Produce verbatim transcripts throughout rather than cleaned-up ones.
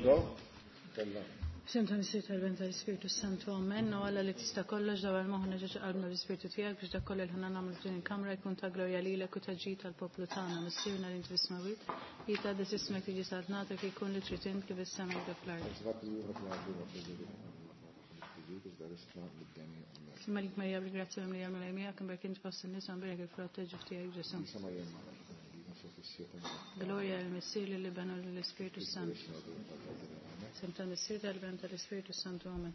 F'isem tal-Missier tal-Iben tal-Ispirtu Santu, Amen. O Alla li tista' kollox dawwar moħħna ġo qalbna bl-Ispirtu tiegħek biex dak kollu li ħna nagħmlu f'din il-kamra jkun ta' glorja lilek u ta' ġid tal-poplu tagħna. Missierna li inti fis-smewwiet, jitqaddes ismek, tiġi saltnatek, jkun li trid int kif is-sema jibda fl-art. Malik Marija bil-grazzja mimlija Mulej miegħek, imbierek int fost in-nisa, imbierek il-frott tal-ġuf tiegħek Ġesù. Glorja lill-Missier, lill-Iben u lill-Ispirtu Santu. F'isem tal-Missier tal-Iben tal-Ispirtu Santu, Amen.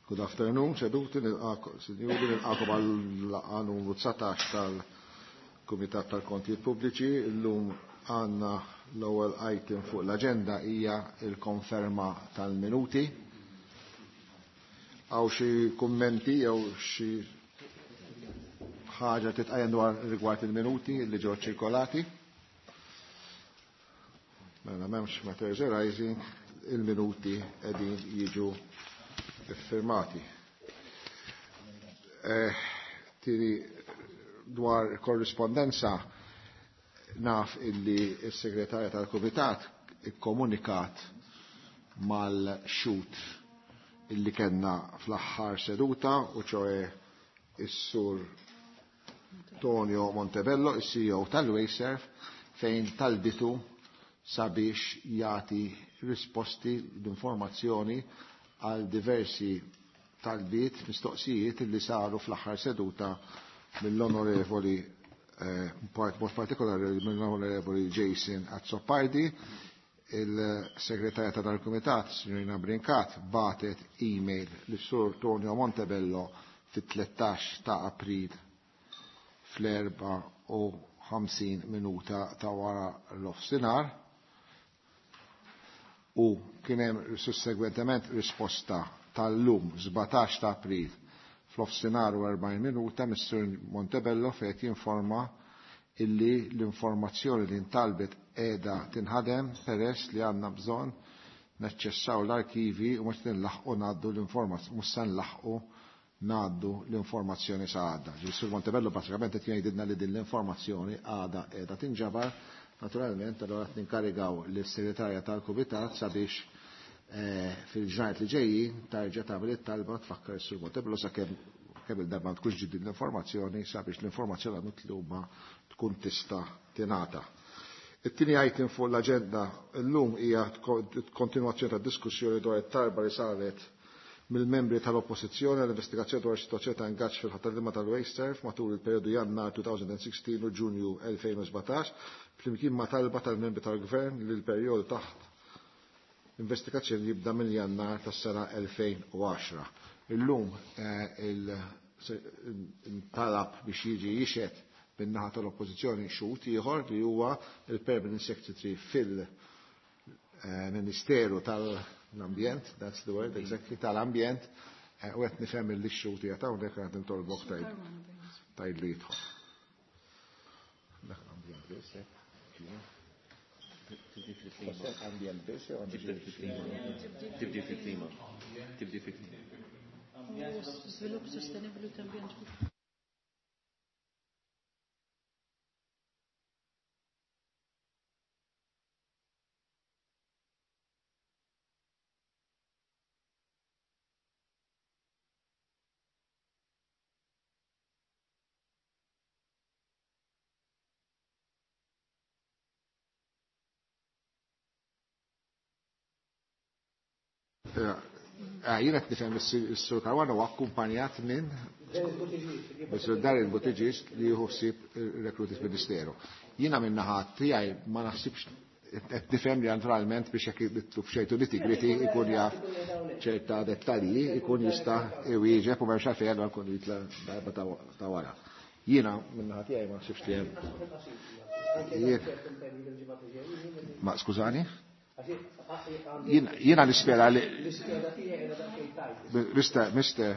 Good afternoon, seduti nilqakom, sinjuri nilqakom għal-laqgħa numru dsatax tal-Kumitat tal-Kontijiet Pubbliċi. Illum għandna l-ewwel item fuq l-aġenda hija l-konferma tal-minuti. Għaw xi kummenti jew xi ħaġa titqajjem dwar rigward il-minuti li ġew ċirkolati? Mela m'hemmx matters arising, il-minuti qegħdin jiġu iffirmati. Eh, Tiri dwar korrispondenza naf illi s-segretarja tal-Kumitat ikkomunikat mal-xut illi kellna fl-aħħar seduta u ċoe is-sur Tonio Montebello, is-C E O tal-Wasteserv, fejn talbitu sabiex jagħti risposti l-informazzjoni għal diversi talbiet, mistoqsijiet li saru fl-aħħar seduta mill-onorevoli, eh, part-, mod partikolari mill-onorevoli Jason Azzopardi. Il-segretarja ta' dal-Kumitat, signorina Brincat, batet email lis-sur Tonio Montebello fit-tlettax ta' April fl-erba u ħamsin minuta ta' wara l-offsinar u kien hemm sussegwentement risposta tal-lum sbatax ta' April fl-offsinar u erbgħin minuta mis-sur Montebello fejn jinforma illi l-informazzjoni li ntalbet qiegħda tinħadem peress li għandna bżonn naċċessaw l-arkivi u mhux nlaħqu ngħaddu l-informazzjoni, mhux se nlaħqu ngħaddu l-informazzjoni sa għadda. Ġifieri Sur Montebello bażikament qed jgħidilna li din l-informazzjoni għadha qiegħda tinġabar. Naturalment allura qed ninkarigaw lis-segretarja tal-Kumitat sabiex, eh, fil-ġranet li ġejjin tarġa' tagħmel it-talba tfakkar is-Sur Montebello sakemm kemm il-darba ma tkunx ġiet l-informazzjoni sabiex l-informazzjoni mitluba tkun tista' tingħata. It-tieni item fuq l-aġenda llum hija kontinwazzjoni ta' diskussjoni dwar it-talba li saret mill-membri tal-Oppożizzjoni għall-investigazzjoni dwar is-sitwazzjoni ta' ingaġġ fil-ħaddiema tal-Wasteserv matul il-perjodu Jannar two thousand sixteen u Ġunju elfejn u sbatax, flimkien ma' talba tal-membri tal-Gvern li l-perjodu taħt investigazzjoni jibda minn Jannar tas-sena elfejn u għaxra. Illum, eh, il-talab biex jiġi jixhed min-naħa tal-Oppożizzjoni xhud ieħor li huwa il-Permanent Secretary fil-Ministeru tal-Ambjent, that's the word exactly, tal-Ambjent, eh, u qed nifhem li x-xhud qiegħed hawnhekk qed nitolbok tgħid tgħid li jidħol. Dak l-ambjent biss, eh? Tibdi fil-klima. Ambjent biss, jew Tibdi fil-klima. Tibdi fil-klima. Tibdi fil-klima. Svilupp sostenibli ta' ambjent. Jiena qed nifhem is-Sur Caruana huwa akkumpanjat minn Sur Darren Buttigieg li jieħu ħsieb ir-rekrutit Ministeru. Jiena minn naħa tiegħi ma naħsibx qed nifhem li naturalment biex jekk jitlu f'xejtu nitty-gritty ikun jaf ċerta dettalji, ikun jista' iwieġeb u m'hemmx għalfejn allura nkun jitla' darba ta' wara. Jiena minn naħa tiegħi ma naħsibx li hemm. Ma skużani? Jiena nispera li Mister, Mister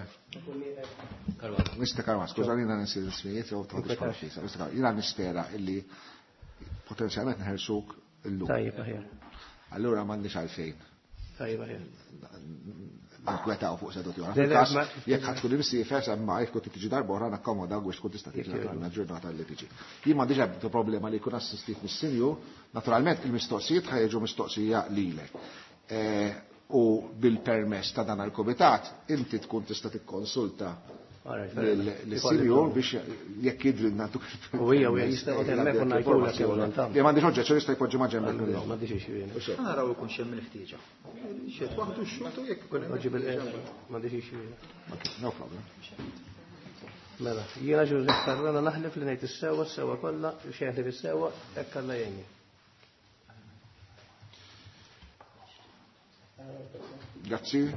Mister Caruana, skużani, jiena nisir l-ismijiet, jew tħoddix konfiża. Mister Caruana, jiena nispera illi potenzjalment nħersuk illum. Tajjeb, aħjar. Allura m'għandix għalfejn. Tajjeb, aħjar. ninkwetaw fuq seduti oħra. Fil-każ jekk ħadd tkun imsiefer semma jekk tkun tiġi darba oħra nakkomoda biex tkun tista' tiġi naturalment ġurnata li tiġi. Jien m'għandix ebda problema li jkun assistit mis-sinjur, naturalment il-mistoqsijiet ħa jiġu mistoqsija lilek. U bil-permess ta' dan il-komitat inti tkun tista' tikkonsulta l-sinjur biex jekk jidrilna tuk. U hija u jista' qed hemmhekk u ngħidulek jew nagħmel. Jien m'għandix oġġezzjoni jista' jpoġġi ma' ġenbek. M'għandix issue jien. Naraw ikun xemm il-ħtieġa. Xiet waħdu x-xogħol jekk ikun hemm. Poġġi bil-qiegħda, m'għandix issue jien. No problem. Mela, jiena Joseph Caruana naħlef li ngħid is-sewwa s-sewwa kollha, xejn ħlief is-sewwa, hekk Alla jgħinni. Grazzi.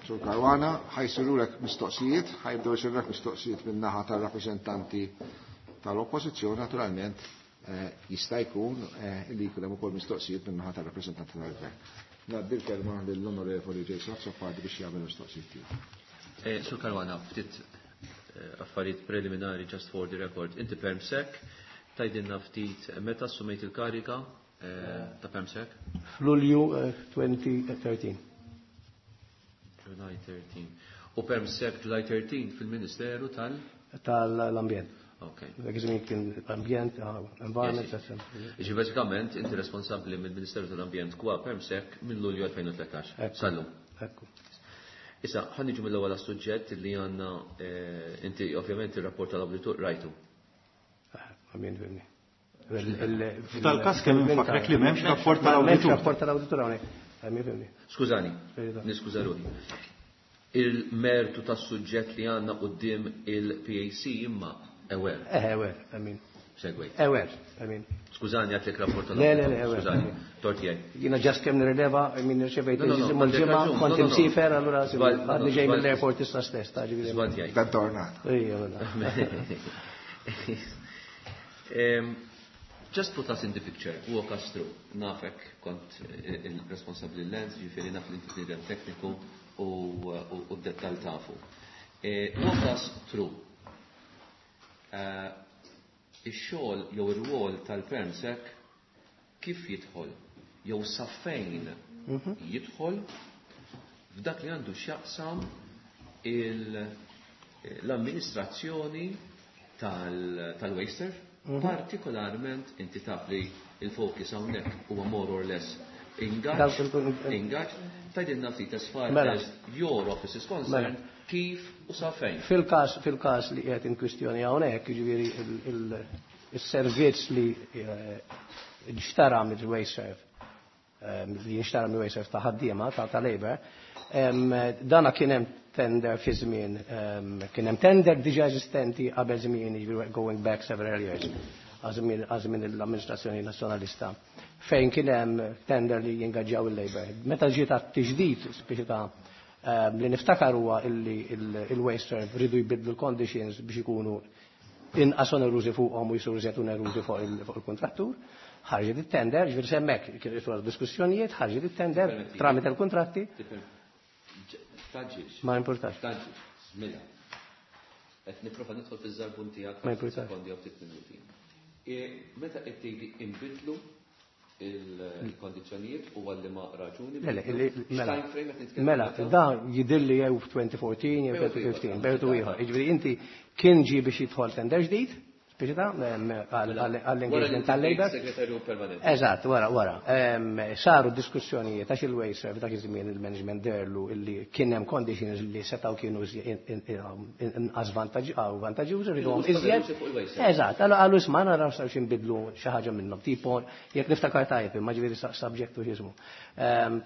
Sur Caruana, ħajsirulek mistoqsijiet, ħajbdew jsirulek mistoqsijiet minn naħa tar-rappreżentanti tal-Oppożizzjoni, naturalment jista' jkun li jkun hemm ukoll mistoqsijiet minn naħa tar-rappreżentanti tal-Gvern. Ngħaddi l-kelma lill-Onorevoli Jason Azzopardi biex jagħmel mistoqsijiet tiegħu. Sur Caruana, ftit affarijiet preliminari just for the record. Inti permsek, tgħidilna ftit meta assumejt il-karika ta' permsek? F'Lulju twenty thirteen. July thirteen. U permsek July thirteen fil-Ministeru tal? Tal-Ambjent. Ok. Dak iż-żmien kien ambjent, environment, et cetera. Ġi bażikament inti responsabbli mill-Ministeru tal-Ambjent kwa permsek minn Lulju elfejn u tlettax. Sallum. Ekku. Issa, ħa niġu mill-ewwel għas-suġġett li għandna inti ovvjament ir-rapport tal-awditur rajtu. Ambjent fimni. F'tal-każ kemm infakrek li m'hemmx rapport tal-awditur. M'hemmx rapport tal-awditur hawnhekk. Skużani, niskuża ruħi. Il-mertu tas-suġġett li għandna quddiem il-P A C imma ewer. Eh, ewer, I mean. Segwejt. Ewer, I mean. Skużani, għatlek rapport Le, le, le, ewer. Skużani, tort jgħid. Jiena ġast kemm nirrileva, I mean, nirċevejt No, no, no, il-ġimgħa għandek l-ġimgħa, raġun, kont no, no, no. imsifer, allura Żball, għadni no, ġej żball. mill-airport issa stess, ta' ġifieri. Żball jgħid. Dan tornat. Ejja, mela. Em, Just put us in the picture, walk us through. Nafek kont il-responsabli l-lens, ġifieri naf li inti bniedem tekniku u d-dettal tafu. Walk us through. Ix-xogħol jew ir-rwol tal-permsek kif jidħol jew sa fejn jidħol f'dak li għandu x'jaqsam l-amministrazzjoni tal-WasteServ, partikolarment inti taf li il-focus hawnhekk huwa more or less ingaġġ, ingaġġ, tgħidilna ftit as far as your office is concerned, kif u sa fejn. Fil-każ, fil-każ li qiegħed in kwistjoni hawnhekk, jiġifieri il-servizz li nxtara mill-WasteServ, li nxtara mill-WasteServ ta' ħaddiema ta' ta' Labour, dana kien hemm tender fi żmien, kien hemm tender diġà eżistenti qabel żmien, jiġifieri going back several years, għaż-żmien l-amministrazzjoni nazzjonalista, fejn kien hemm tender li jingaġġjaw il-Labour. Meta ġiet għat-tiġdid, speċi ta' li niftakar huwa illi il-WasteServ ridu jbidlu l-conditions biex ikunu inqas onerużi fuqhom u jsiru iżjed onerużi fuq il-kontrattur. Ħarġet it-tender, ġifieri semmek kien isura diskussjonijiet, ħarġet it-tender tramite l-kontratti. Taġġilx. Ma importax. Taġġilx. Mela. Qed nipprova nidħol fiż-żarbun tiegħek Ma importax. sekondi jew ftit minuti. Meta qed tgħidli inbidlu il-kondizzjonijiet u għalli ma raġuni. Le, le, le, mela. X'time frame qed nitkellmu Mela, meta? da jidilli jew f'twenty fourteen jew Bejtu twenty fifteen, ieħor. bejtu ieħor. Jiġifieri inti kien ġie biex jidħol tender ġdid, speċi ta' għall-engagement tal-Labour. Segretarju permanenti. Eżatt, wara, wara. Saru diskussjonijiet għax il-WasteServ dak iż-żmien il-management derlu illi kien hemm conditions li setgħu kienu inqas vantaġġjużi, rridhom iżjed. Eżatt, allura qalu isma' naraw saw xi nbidlu xi ħaġa minnhom, tipo jekk niftakar tajjeb, imma ġifieri subject to x'ismu.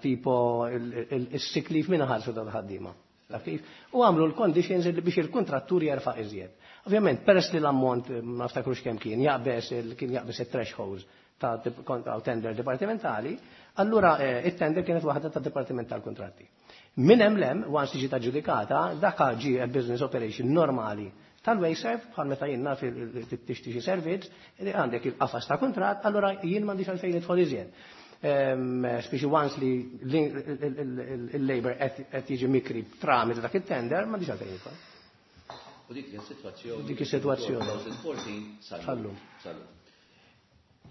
Tipo is-sick leave min ħallsu dal-ħaddiema. Taf kif? U għamlu l-conditions li biex il-kontrattur jerfa' iżjed. Ovvjament, peress li l-ammont, ma naftakrux kemm kien, jaqbeż il-, kien jaqbeż it-thresholds ta' ta' tender dipartimentali, allura it-tender kienet waħda ta' dipartiment tal-kontratti. Min hemm lem, once tiġi taġġudikata, dak ġie a business operation normali tal-WasteServ, bħal meta jien naf tixtri xi servizz, għandek il-qafas ta' kuntratt, allura jien m'għandix għalfejn nidħol iżjed. Speċi once li il-Labour qed jiġi mikri tramite dak it-tender, m'għandix għalfejn nidħol. U dik hija s-sitwazzjoni. Dik is-sitwazzjoni. twenty fourteen sal-lum. Sal-lum. Sal-lum.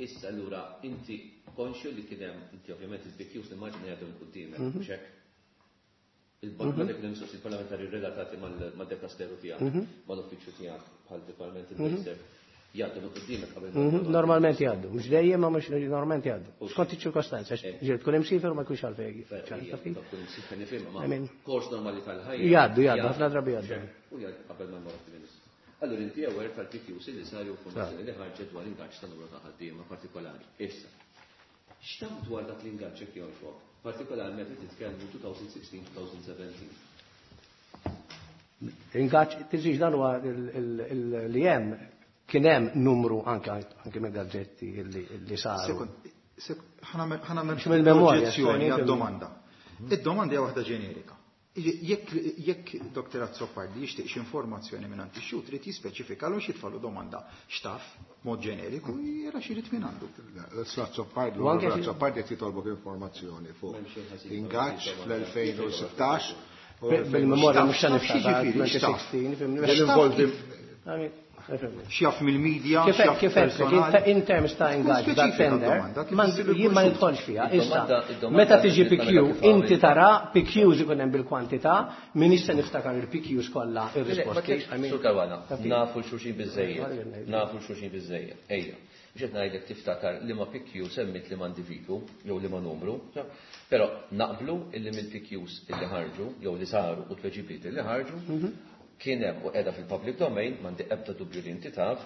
Issa allura inti konxju li kien hemm, inti ovvjament il-B Qs nimmaġina jgħaddu minn quddiemek, mhux hekk? Il-meta kien hemm mistoqsijiet parlamentari relatati mal-dekasteru tiegħek, mal-uffiċċju tiegħek bħal Department il-Minister, jgħaddu minn qudiemek qabel. Normalment jgħaddu, mhux dejjem ma mhux normalment jgħaddu. Skont iċ-ċirkostanzi, ġieli tkun imsiefer u ma jkunx għalfejn. Tkun imsiefer nifhimha, ma kors normali tal-ħajja. Jgħaddu, jgħaddu, ħafna drabi jgħaddu. U jgħaddu qabel ma jmorru fil-Ministru. Allura inti aware tal-P Qs li saru informazzjoni li ħarġet dwar ingaġġ ta' numru ta' ħaddiema partikolari. Issa, x'taf dwar dak l-ingaġġ jekk jogħġbok? Partikolarment qed titkellmu twenty sixteen twenty seventeen. Ingaġġ, tiżix dan huwa li hemm kien hemm numru anke anke mill-gazzetti li saru. Sekond, ħa nagħmel oġġezzjoni għad-domanda. Id-domanda hija waħda ġenerika. Jekk jekk Doktor Azzopardi jixtieq xi informazzjoni minn għand ix-xhud trid jispeċifika l xi domanda x'taf mod ġeneriku jera xi jrid minn għandu. Azzopardi, Azzopardi qed jitolbok informazzjoni fuq ingaġġ fl-elfejn u sittax. Bil-memorja mhux se niftakar twenty sixteen. X'jaf mill-media, x'jaf kif in terms ta' ingaġġ da' tender, jien ma nidħolx fiha. Issa, meta tiġi P Q, inti tara P Qs ikun hemm bil-kwantità, min issa niftakar il-P Qs kollha ir-risposti. Sur Caruana, nafu l-xulxin biżejjed, nafu l-xulxin biżejjed. Ejja, biex qed ngħidlek tiftakar li ma P Q semmit li ma individwu jew li ma numru, però naqblu illi mill-P Qs illi ħarġu jew li saru u tweġibiet illi ħarġu, kien hemm u qiegħda fil-public domain, m'għandi ebda dubju li inti taf,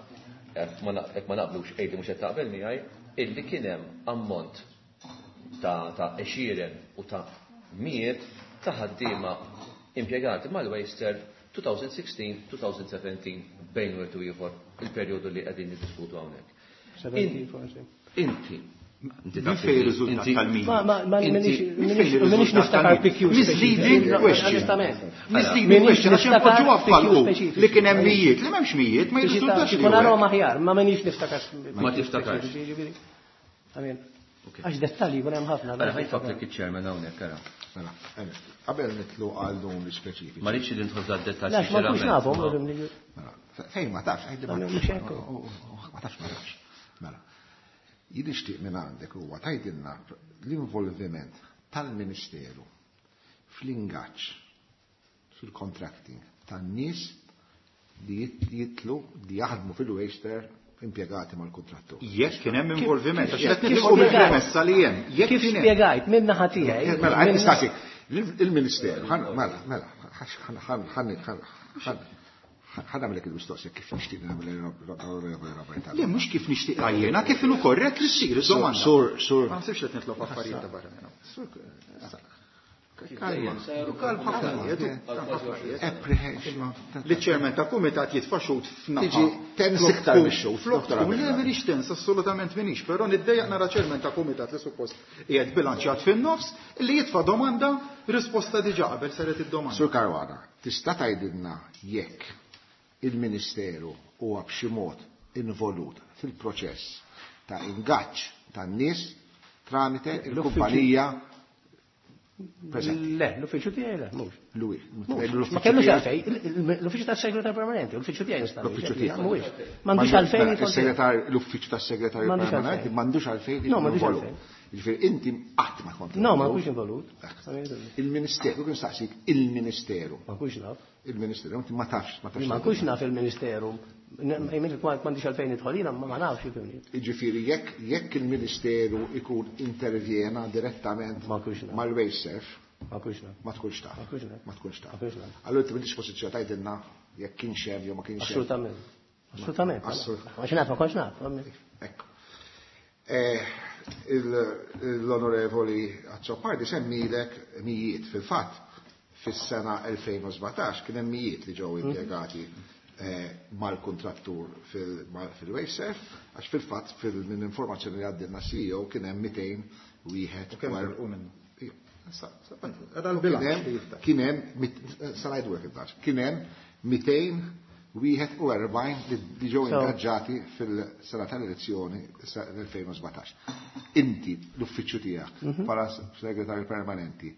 jekk ma naqblux qegħdi mhux qed taqbel miegħi, illi kien hemm ammont ta' ta' għexieren u ta' mijiet ta' ħaddiema impjegati mal-Wasteserv twenty sixteen twenty seventeen bejn wieħed u ieħor il-perjodu li qegħdin niddiskutu hawnhekk. Seventeen forsi. Inti. Inti Min fejn ir-riżultat tal-min? Ma, ma, ma, minix niftakar P Q Misleading question. Misleading question, għax inpoġġu għaffalqu li kien hemm mijiet, li m'hemmx mijiet, ma jirriżultax li Ikun arahom aħjar, ma minix niftakar. Ma tiftakarx. Amin. Għax dettalji jkun hemm ħafna. Mela, ħaj fakkrek iċ-chairman hawnhekk, ara. Mela, qabel nitlu għal numri speċifiċi. Ma rridx li nidħol f'dan dettalji. Għax ma nkunx nafhom, Mela, fejn ma tafx, għidli ma Mhux hekk. Ma tafx, ma tafx. Mela. Jien nixtieq minn għandek huwa tgħidilna l-involviment tal-Ministeru fl-ingaġġ fil-contracting tan-nies li jitlu li jaħdmu fil-Wasteserv impjegati mal-kontrattur. Jekk kien hemm involviment, għax qed Kif nitilqu mill-premessa li hemm. Jekk Kif kien hemm. spjegajt minn naħa tiegħi? Mela, qed nistaqsi, il-Ministeru, mela, mela, ħan ħan nagħmlek il-mistoqsija kif nixtieq nagħmel il-Robert. Le, mhux kif nixtieq jiena, kif inhu korrett li ssir id-domanda. Sur, sur. Ma nsibx qed nitlob affarijiet ta' barra minn hawn. Sur, Kalma, kalma ħafna, Apprehension. Li ċermen ta' kumitat jitfa' xut f'naħa. Tiġi tens iktar mix-xut, Flok Doktor tkun, Abela. le, minix tens, assolutament minix, però niddejjaq nara ċermen ta' kumitat li suppost qiegħed bilanċjat fin-nofs li jitfa' domanda, risposta diġà qabel saret id-domanda. Sur Caruana, tista' tgħidilna jekk il-Ministeru huwa b'xi mod involut fil-proċess ta' ingaġġ tan-nies tramite il-kumpanija preżenti. Le, l-uffiċċju tiegħi le, mhux. Lui, Mhux. Ma kellux għalfejn, l-uffiċċju tas-segretarju permanenti, l-uffiċċju tiegħi nista' L-uffiċċju tiegħek. Mhuwiex. M'għandux għalfejn Mela, jidħol il-segretarju, l-uffiċċju tas-segretarju M'għandux permanenti għalfejn. m'għandux għalfejn No, m'għandux involut. għalfejn. Jiġifieri inti qatt ma kont No, ma involut. nkunx involut. Il-Ministeru, kien staqsik il-Ministeru. Ma nkunx naf. Il-Ministeru, inti ma tafx, ma tafx. Ma nkunx naf il-Ministeru. M'għandix għalfejn nidħol jiena, ma nafx ifhimni. Jiġifieri jekk jekk il-Ministeru ikun intervjena direttament Ma nkunx naf. mal-Wasteserv, Ma nkunx naf. ma tkunx taf. Ma nkunx naf. Ma tkunx taf. Ma nkunx naf. Allura inti m'intix pożizzjoni tgħidilna jekk kienx hemm jew ma kienx hemm. Assolutament. Assolutament. Assolutament. Ma naf, ma kontx naf. Ekku. Eh, l-Onorevoli Azzopardi semmilek mijiet fil-fatt fis-sena elfejn u sbatax kien hemm mijiet li ġew impjegati eh, mal-kontrattur fil-Wasteserv, għax fil-fatt minn informazzjoni li għaddilna C E O kien hemm mitejn wieħed U kemm u telqu minnu? Ija. Sa, sa, għadha l-bilanċ li jiftaħ. Kien hemm mit-, sa ngħidu hekk il-bilanċ. Kien hemm mitejn wieħed u erbgħin li ġew So. ingaġġati fil-sena tal-elezzjoni l-elfejn u sbatax. Inti l-uffiċċju tiegħek Mhm. bħala segretarju permanenti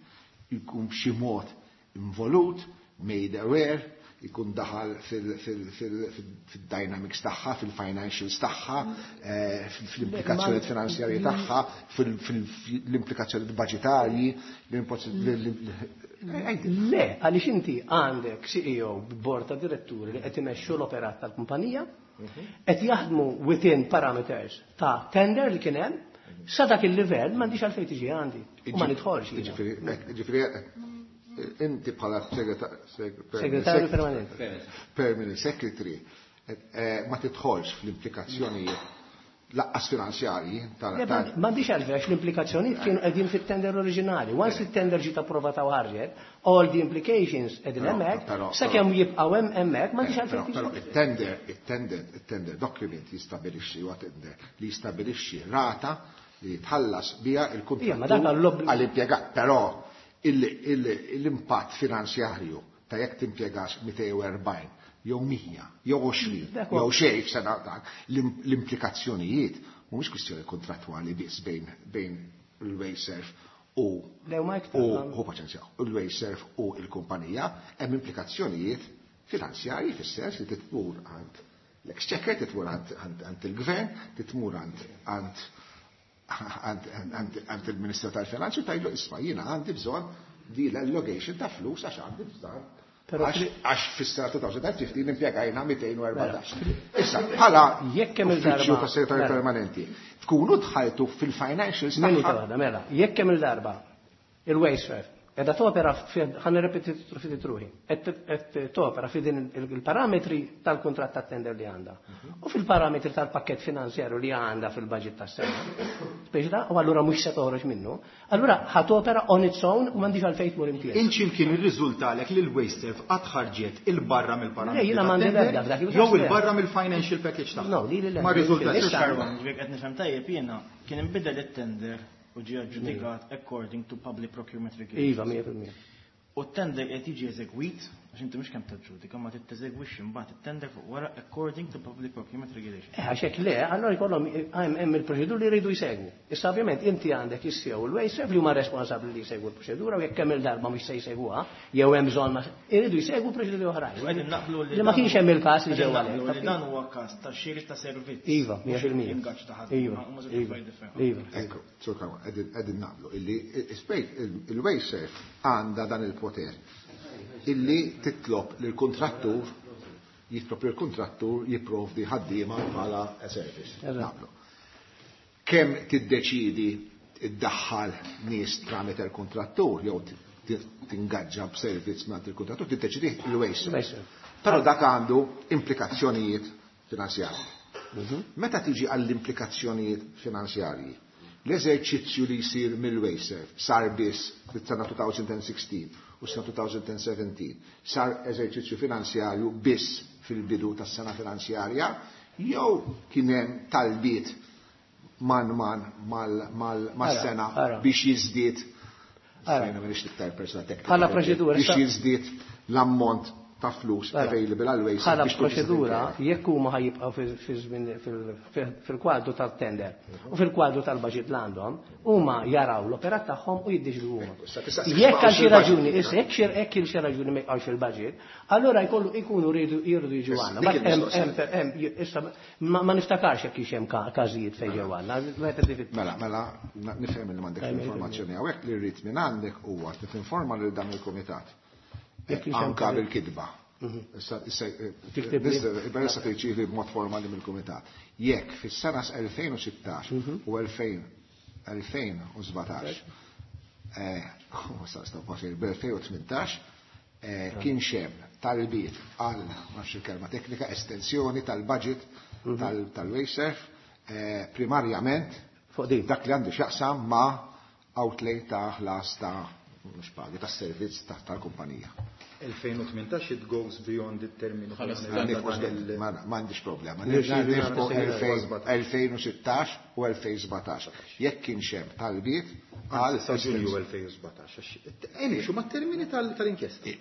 jkun b'xi mod involut, made aware, ikun daħal fil-dynamics tagħha, fil-financials tagħha, eh, fil-implikazzjoni finanzjarji tagħha, fil-implikazzjoni budgetarji, Le, għaliex inti għandek C E O b'bord ta' diretturi li qed imexxu l-operat tal-kumpanija, qed jaħdmu within parameters ta' tender li kien hemm, sa dak il-livell m'għandix għalfejn tiġi għandi u ma nidħolx jiena. Ġifieri, ġifieri, inti bħala segretarju permanenti. Permanent secretary eh, ma tidħolx fl-implikazzjonijiet lanqas finanzjarji tal Le, ma- M'għandix għalfejn għax l-implikazzjonijiet kienu qegħdin fit-tender oriġinali. Once il-tender ġiet approvata u ħarġet, all the implications qegħdin Però- hemmhekk, però- sakemm jibqgħu hemm hemmhekk m'għandix Però għalfejn però tiġi. Il-tender, il-tender, il-tender document jistabilixxi, huwa tender li jistabilixxi rata li jitħallas biha Ija, ma dak il-kontrattur għall-obbligu. għall-impjegat. Però il- il- l-impatt finanzjarju ta' jekk timpjegax mitejn u erbgħin jew mija jew għoxrin Dak huwa- jew xejn f'sena dak, l- l-implikazzjonijiet mhumiex kwistjoni kontrattwali biss bejn bejn il-WasteServ u Le, ma iktar. u hu paċenzja, u l-WasteServ u l-kumpanija, hemm implikazzjonijiet finanzjarji fis-sens li titmur għand l-exchequer, titmur għand għand- għand il-gvern, titmur għand għand għand għand- għand il-Ministru tal-Finanzi u tgħidlu, "Isma', jiena għandi bżonn di l-allocation ta' flus għax għandi bżonn." Però Għax fri- għax fis-sena elfejn u ħmistax impjegajna mitejn u erbatax. Issa, bħala Jekk hemm uffiċċju il-darba- ta' segretarju Mela. permanenti, tkunu dħaltu fil-financials Minuta tagħha. waħda, mela, jekk hemm il-darba il-WasteServ qiegħda topera, ħa nirrepeti ftit ruħi, qed topera fi din il-parametri tal-kuntratt tat-tender li għandha u fil-parametri tal-pakket finanzjarju li għandha fil-budget tas-sena. Speċi ta' u allura mhux se toħroġ minnu, allura ħa topera on its own u m'għandix għalfejn tmur imkien. Inċi kien irriżultalek li l-WasteServ qatt ħarġet il-barra mill-parametri Le, jiena m'għandi tat-tender l-ebda f'dak il-każ, jew le. il-barra mill-financial package tagħha. No, li li le. Ma riżultax. Issa- Caruana, ġifieri qed nifhem tajjeb jiena, kien inbidel it-tender u ġie aġġudikat according to public procurement regulations. Iva, mija fil-mija. U t-tender qed jiġi eżegwit, għax inti mhux kemm taġġudika, ma titteżegwixxi mbagħad it-tender fuq wara according to public procurement regulations. Eh, għax hekk le, allora jkollhom hemm hemm il-proċeduri li jridu jsegwu. Issa ovvjament inti għandek is-C E O u l-WasteServ li huma responsabbli li jsegwu l-proċedura u jekk hemm il-darba mhux se jsegwuha, jew hemm bżonn ma jridu jsegwu proċeduri oħrajn. U qegħdin naqblu li Li ma dan- kienx hemm il-każ li ġew qegħdin naqblu għalhekk. li dan huwa każ ta' xiri ta' servizz. Iva, mija mhux fil-mija. ingaġġ ta' ħadd. Iva, Huma żewġ iva, affarijiet differenti. iva. Ekku, Sur Caruana, qegħdin naqblu illi il-WasteServ għandha dan il-poter illi titlob lill-kontrattur jitlob lill-kontrattur jipprovdi ħaddiema bħala a service. Eżatt. Naqblu. Kemm tiddeċidi iddaħħal nies tramite il-kontrattur jew ti- tingaġġa b'servizz mingħand il-kontrattur, tiddeċidi il-WasteServ. WasteServ. Però dak għandu implikazzjonijiet finanzjarji. Meta tiġi għall-implikazzjonijiet finanzjarji, l-eżerċizzju li jsir mill-WasteServ sar biss fit-sena elfejn u sittax u sena elfejn u sbatax, sar eżerċizzju finanzjarju biss fil-bidu tas-sena finanzjarja jew kien hemm talbiet man man mal mal mas-sena Ara, ara. biex jiżdied Ara. Jiena m'iniex iktar persona teknika. Bħala proċedura, Biex issa- jiżdied l-ammont ta' flus Ara. available għal WasteServ Bħala biex tkun tista' proċedura, timpjega. jekk huma ħa jibqgħu fil- fil- fil- fil- fil-kwadru tal-tender u fil-kwadru tal-budget li għandhom, huma jaraw l-operat tagħhom u jiddeċidu huma. Issa tista' Jekk għal xi fil-budget. raġuni, issa jekk xi jekk il xi raġuni ma jibqgħux fil-budget, allura jkollu jkunu rridu jridu jiġu Issa, għandna. dik Ma hemm- il-mistoqsija. hemm- hemm- issa ma ma niftakarx jekk hix hemm ka- każijiet fejn ġew għandna. Wieħed qed Mela, mela, na- nifhem li m'għandek l-informazzjoni hawnhekk, li rrid minn għandek huwa li tinforma lil dan il-kumitat. Jekk hix hemm Anka każijiet. bil-kitba. Issa, issa, Tiktib li? issa tirċievi b'mod formali mill-kumitat. Jekk fis-sena elfejn u sittax u elfejn elfejn u sbatax, eh, sa sta bil-elfejn u tmintax eh, kien hemm talbiet għal, ma nafx il-kelma teknika, estensjoni tal-budget tal- tal-WasteServ, eh, primarjament Fuq din. dak li għandu x'jaqsam ma' outlay ta' ħlas ta' mhux pagi ta' servizz ta' tal-kumpanija. elfejn u tmintax it goes beyond it-terminu. Ma m'għandix problema. Nirċievi Nifqu nagħmel elfejn u sittax u elfejn u sbatax. Jekk kien hemm talbiet għal Sa Ġunju elfejn u sbatax. Għax huma termini tal-inkjesta.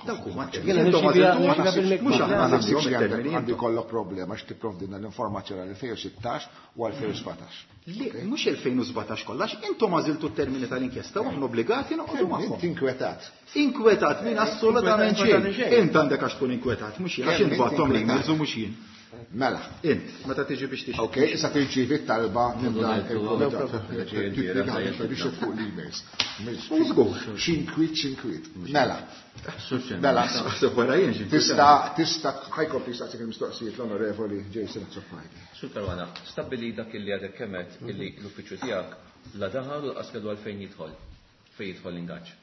Dawk huma Jiena termini. Intom nirċievi- għażiltu- nirċievi bil-miktub. Mhux Ma aħna naħsibx għażilhom li it-termini. għandi Intom. kollok problema għax tipprovdilna l-informazzjoni għal elfejn u sittax u elfejn u sbatax. Li, mhux elfejn u sbatax kollax, intom għażiltu t-termini tal-inkjesta u aħna obbligati noqogħdu magħhom. Inti inkwetat. Inkwetat minn assolutament Inkwetat xejn. xejn. Int għandek għax tkun inkwetat, mhux jien, għax Kemm int bagħthom inti l-emails u mhux jien. Mela. Int, meta tiġi biex tixtri. Ok, issa tirċievi t-talba minn dan il-komitat. Biex fuq l-emails. X'inkwiet, x'inkwiet. Mela. Mela. Tista, tista, ħajkompli jistaqsik il-mistoqsijiet l-Onorevoli Jason Azzopardi. Sur Caruana, stabbili dak illi għadek kemet illi l-uffiċċju tiegħek la daħal u lanqas kellu għalfejn jidħol, fejn jidħol l-ingaġġ.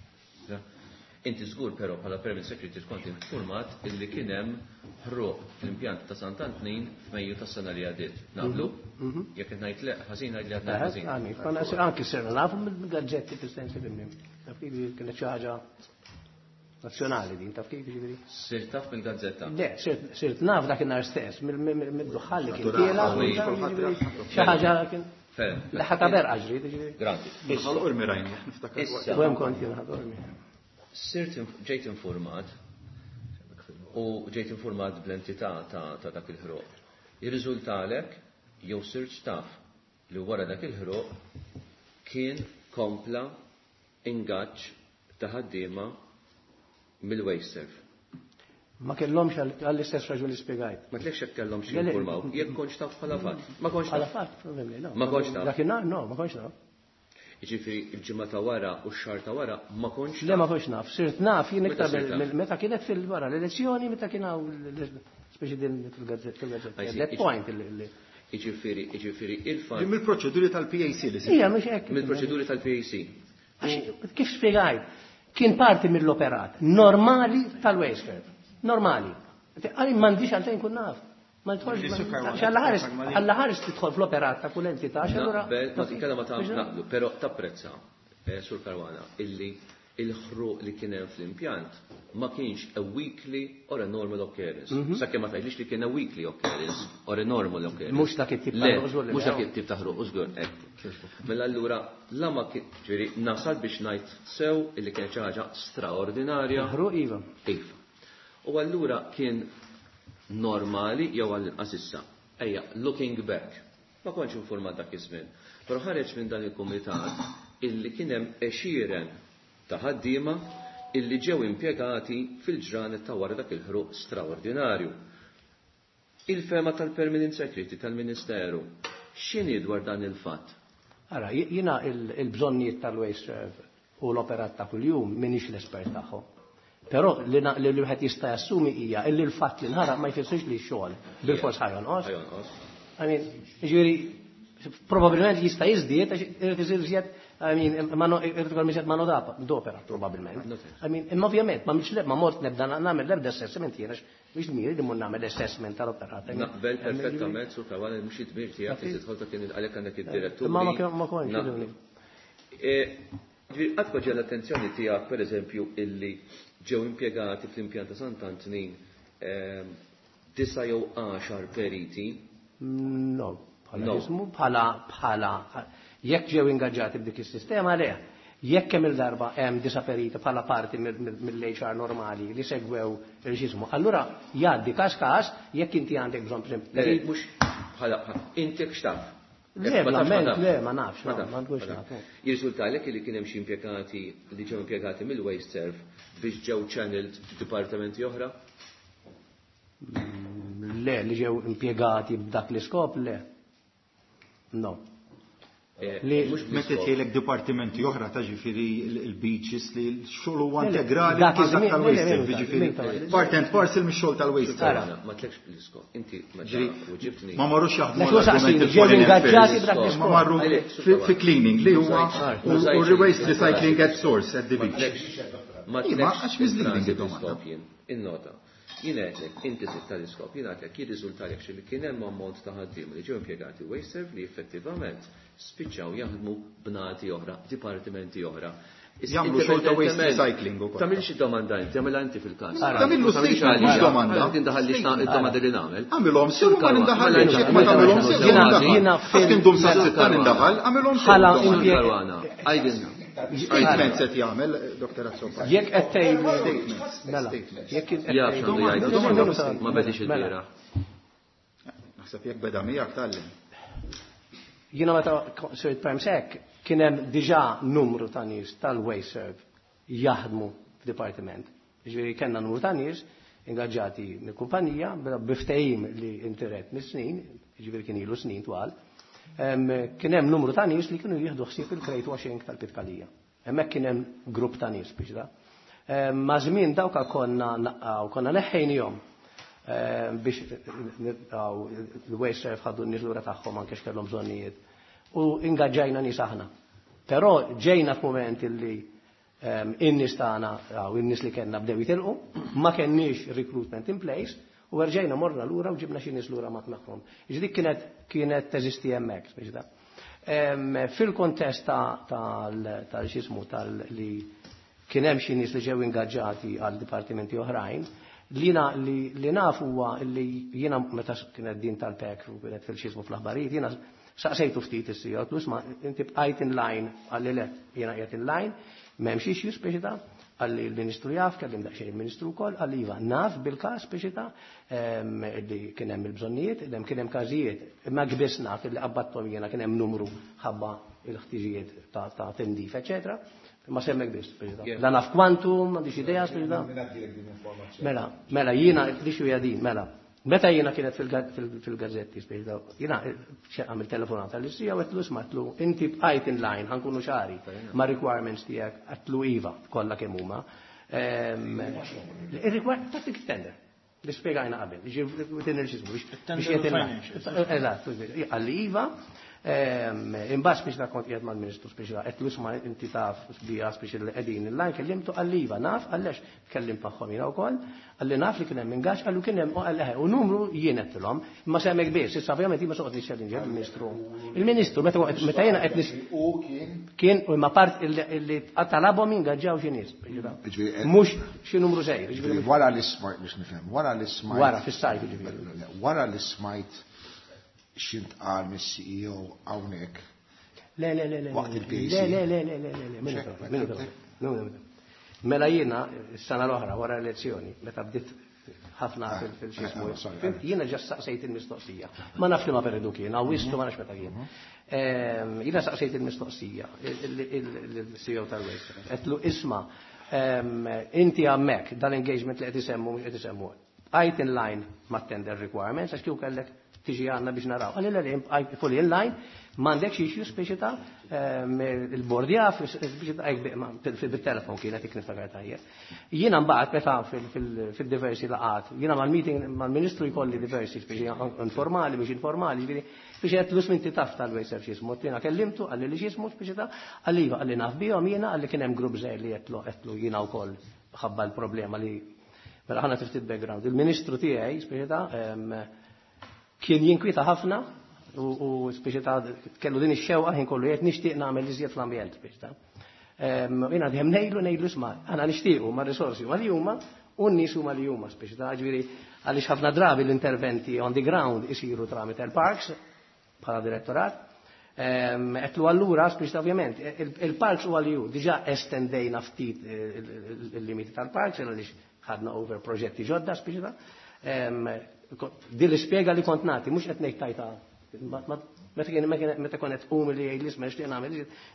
Inti żgur però bħala Permanent Secretary kont informat illi kien hemm ħruq fl-impjant ta' Sant'Antnin f'Mejju tas-sena li għaddiet. Naqblu? Jekk qed ngħid le, ħażin ngħid li għadna ħażin. Anki sirna nafu mill-gazzetti fis-sens li taf kif kienet xi ħaġa nazzjonali din, taf kif jiġifieri. Sirt taf mill-gazzetta? Le, sirt naf dakinhar stess, mid-duħħal li kien tiela, xi ħaġa kien. Leħa berqa ġrid, jiġifieri. Granti. Ħal Qormi rajni, niftakar. U hemm kont jien Ħal Qormi. Sirt ġejt informat u ġejt informat bl-entità ta' dak il-ħruq. Jirriżultalek jew sirt taf li wara dak il-ħruq kien kompla ingaġġ ta' ħaddiema mill-WasteServ. Ma kellhomx għall-istess raġuni spjegajt. Ma tlekx jekk kellhom xi jinformaw, jekk kontx taf bħala fatt. Ma kontx taf. Bħala fatt, probably, no. Ma kontx taf. Dakinhar no, ma kontx naf. Jiġifieri il-ġimgħa ta' wara u x-xahar ta' wara ma kontx Le ma kontx naf, sirt naf jien iktar meta kienet fil-wara l-elezzjoni meta kien hawn speċi din fil-gazzetta. That point li Jiġifieri, jiġifieri il-fatt. Mill-proċeduri tal-P A C li Ija, mhux hekk. Mill-proċeduri tal-P A C. Kif spjegajt? Kien parti mill-operat normali tal-WasteServ. Normali. Għalli m'għandix għalfejn kun naf. Ma nidħolx, għalla ħares, għalla ħares tidħol fl-operat ta' kull entità, għax allura Naqbel, ma titkellem ma tagħmel naqblu, però tapprezza, eh, Sur Caruana, illi il-ħruq li kien hemm fl-impjant ma kienx a weekly or a normal occurrence. Mhm. Sakemm ma tgħidlix li kien a weekly occurrence or a normal occurrence. Mhux dak it-tip ta' Le, ħruq, żgur li mhux le. dak it-tip ta' ħruq, żgur, hekk. Mela allura la ma kien, ġifieri nasal biex ngħid sew illi kienet xi ħaġa straordinarja. Il-ħruq iva. Iva. U allura kien normali jew għall-inqas issa. Ejja, looking back. Ma kontx informat dak iż-żmien. Però ħareġ minn dan il-kumitat illi kien hemm għexieren ta' ħaddiema illi ġew impjegati fil-ġranet ta' wara dak il-ħruq straordinarju. Il-fema tal-Permanent Secretary tal-Ministeru, x'inhi dwar dan il-fatt? Ara, jiena il-bżonnijiet tal-WasteServ u l-operat ta' kuljum m'iniex l-espert tagħhom. Però li na-, li wieħed jista' jassumi hija illi l-fatt li nħaraq ma jfissirx li x-xogħol bil-fors ħajonqos. Ħajonqos. I mean, jiġifieri, probabilment jista' jiżdied għax irid isir iżjed, I mean, mano, irid ikun iżjed mano d'opera, probabbilment. I mean, imma ovvjament, ma mhix ma mort nibda nagħmel l-ebda assessment jiena mhix dmiri li mmur nagħmel assessment tal-operat. I mean, Naqbel perfettament sur Caruana mhux id-dmir tiegħek li tidħol ta' kien għalhekk għandek id-direttur. Imma ma kien-, ma kontx, Naqbel. jiġifieri. E, ġifieri, qatt ma ġie l-attenzjoni tiegħek, pereżempju, illi ġew impjegati fl-impjant ta' Sant'Antnin, ehm, disa' jew għaxar periti? No, bħala No. jismu, bħala, bħala, jekk ġew ingaġġati b'dik is-sistema le, jekk kemm il-darba hemm disa' periti bħala parti mill-, mill-, mill-H R normali li segwew il-ġismu, allura jgħaddi każ każ jekk inti għandek bżonn per esempio, Le, perit- mhux bħala, bħala, inti x'taf? Le, Jekk ma ma tafx, ma ment, tafx. le, ma nafx, Ma no, tafx, ma nkunx ma naf, tafx. no. Jirriżultalek li kien hemm xi impjegati li ġew impjegati mill-WasteServ biex ġew channeled dipartimenti oħra? Mm, le, li ġew impjegati b'dak l-iskop, le. No. Eh, Li mhux Meta bl-iskop. tgħidlek dipartimenti oħra ta' ġifieri il-beaches li x-xogħol huwa Le, le, integrali dak ma' dak iż-żmien, tal-waste, le, le, le, ġifieri le, le, le, part and parcel mix-xogħol tal-waste. Ara. Ma tlekx bl-iskop. Inti ma Ġifieri, ġa- u ġibtni. ma marrux jaħdmu Dak huwa l-argument saqsini, ġew il-foreign ingaġġati affairs. b'dak l-iskop. Ma marru Għalek, fi-, fi cleaning li huwa Mużajt, u mużajt, u waste mużajt. recycling at source at the Ma beach. tlekx, ma Iva, tlekx għax misleading il-frażi id-domanda. bl-iskop jien. Innota. Jien għedlek, inti sitt tal-iskop, jien għedlek, jirriżultalek xi li kien hemm ammont ta' ħaddiema li ġew impjegati WasteServ li effettivament spiċċaw jaħdmu b'nati oħra, dipartimenti oħra. Issa Jagħmlu xogħol ta' waste indipendentement, recycling ukoll. Tagħmilx id-domanda inti, tagħmilha inti fil-każ. Ara. Tagħmillu Tagħmilx statement, għalija. mhux domanda. Għalhekk tindaħalli x'na- id-domanda li nagħmel. Għamilhom sew ma Karwa, nindaħalx, mela jekk ma tagħmilhom sew Jiena- nindaħal. jiena Għax fil- kien dum sa mela- sitta nindaħal, għamilhom sew. Bħala domanda. impjeg- Caruana, għajdilna. Statement se jagħmel, Doktor Azzopardi. Jekk qed tgħid Statements, mela, statements. jekk qed Jaf tgħid- x'għandu jgħid, Domanda, domanda. ma bedix Mela. il-bieraħ. Naħseb jekk beda miegħek tgħallem. Jiena meta sirt Prime Sec kien hemm diġà numru ta' nies tal-WasteServ jaħdmu f'dipartiment. Jiġifieri kellna numru ta' nies ingaġġati mill-kumpanija biftehim li intiret mis-snin, jiġifieri kien ilu snin twal, kien hemm numru ta' nies li kienu jieħdu ħsieb il-crate washing tal-Pitkalija. Hemmhekk kien hemm grupp ta' nies biex da. Ma' żmien dawka konna naqgħu, konna neħħejnihom biex l-Wasteserv ħadu n-nies lura tagħhom anke x'kellhom bżonnijiet. U ingaġġajna nies aħna. Però ġejna f'mument illi in-nies tagħna u in-nies li kellna bdew jitilqu, ma kenniex recruitment in place, u rġajna morna lura u ġibna xi nies lura ma' magħhom. Ġdik kienet kienet teżisti hemmhekk, biex da. Fil-kontest tal-xismu tal-li kien hemm xi nies li ġew ingaġġati għal dipartimenti oħrajn, li li naf huwa li jiena meta kienet din tal-P E C u kienet fil-xismu fl-aħbarijiet, jiena saqsejtu ftit is-C E O, isma', inti bqajt in line? Qalli le, jiena qiegħed in line, m'hemmx issues biex ta' qalli l-Ministru jaf, kellim daqsxejn il-Ministru wkoll, qalli iva, naf bil-każ biex ta' li kien hemm il-bżonnijiet, hemm kien hemm każijiet, imma kbis naf li qabbattom jiena kien hemm numru ħabba il-ħtiġijiet ta' tindif, eċetera. Ma semmek biss, biex la naf kwantum, m'għandix idea, biex Mela, mela jiena l-issue hija din, mela. Meta jiena kienet fil-gazzetti, jiena għamil telefonata li sija u għedtlu, isma', għedtlu, inti bqajt in line, ħa nkunu ċari, ma' requirements tiegħek? Għedtlu iva, kollha kemm huma. Il-requirement ta' tender, li spiegajna qabel, din il-ġismu, biex Eżatt, qalli iva, imbagħad biex da kont qiegħed mal-Ministru biex għedtlu, isma', inti taf bija biex li qegħdin in line, kellimtu? Qalli iva, naf, għallex kellim magħhom jiena wkoll, qalli naf li kien hemm ingaġġ, qallu kien hemm u numru jien għedtilhom, imma semmek biss, issa ovvjament ma soqgħod niċċellinġa il-Ministru. Il-Ministru meta meta jiena qed U kien kien u ma part illi talabhom ingaġġaw xi nies. Mhux xi numru żgħir. Wara li smajt biex nifhem, wara li smajt. Wara fis-sajf ġifieri. Wara li smajt x'intqal mis-C E O hawnhekk. Le, le, le, le. Waqt il-P A C. Le, le, le, le, le, le, le, le. Mela jiena, s-sena l-oħra, wara elezzjoni, meta bdiet ħafna fil-xismu, jiena ġa saqsejt il-mistoqsija. Ma naf li ma periodu kien, Awwissu, ma nafx meta kien. Jiena saqsejt il-mistoqsija, il-C E O tal-Waste. Għedtlu, isma', inti hemmhekk dal-engagement li qed isemmu mhux qed isemmu. Bqajt in line ma' tender requirements, għax kieku kellek tiġi għandna biex naraw. Qalli le, fully in line, m'għandekx issue speċi ta' il-board jaf, bil-telefon kienet ik niftakar tajjeb. Jiena mbagħad meta fil-diversi laqat, jiena mal-meeting mal-Ministru jkolli diversi speċi informali, mhux informali, ġifieri biex qed l inti taf tal-Wasteserv x'ismu, jiena kellimtu, qalli li x'ismu speċi ta' qalli iva, qalli naf bihom jiena, qalli kien hemm grupp żgħir li għedtlu għedtlu jiena wkoll ħabba l-problema li. Mela ħana ftit background. Il-ministru tiegħi speċi ta' kien jinkwita ħafna u speċi ta' kellu din ix-xewqa ħin kollu jgħid nixtieq nagħmel iżjed fl-ambjent speċi ta'. Jiena dejjem ngħidlu ngħidlu isma', aħna nixtiequ ma' risorsi huma li huma u n-nies huma li huma speċi ta' ġifieri għaliex ħafna drabi l-interventi on the ground isiru tramite il-parks bħala direttorat. Għedtlu allura, speċi ta' ovvjament, il-parks huwa li hu, diġà estendejna ftit il-limiti tal-parks, għaliex ħadna over proġetti ġodda, speċi ta' din l-ispjega li kont nagħti, mhux qed ngħid tajta meta kien meta konet um li jgħid li isma' nixtieq nagħmel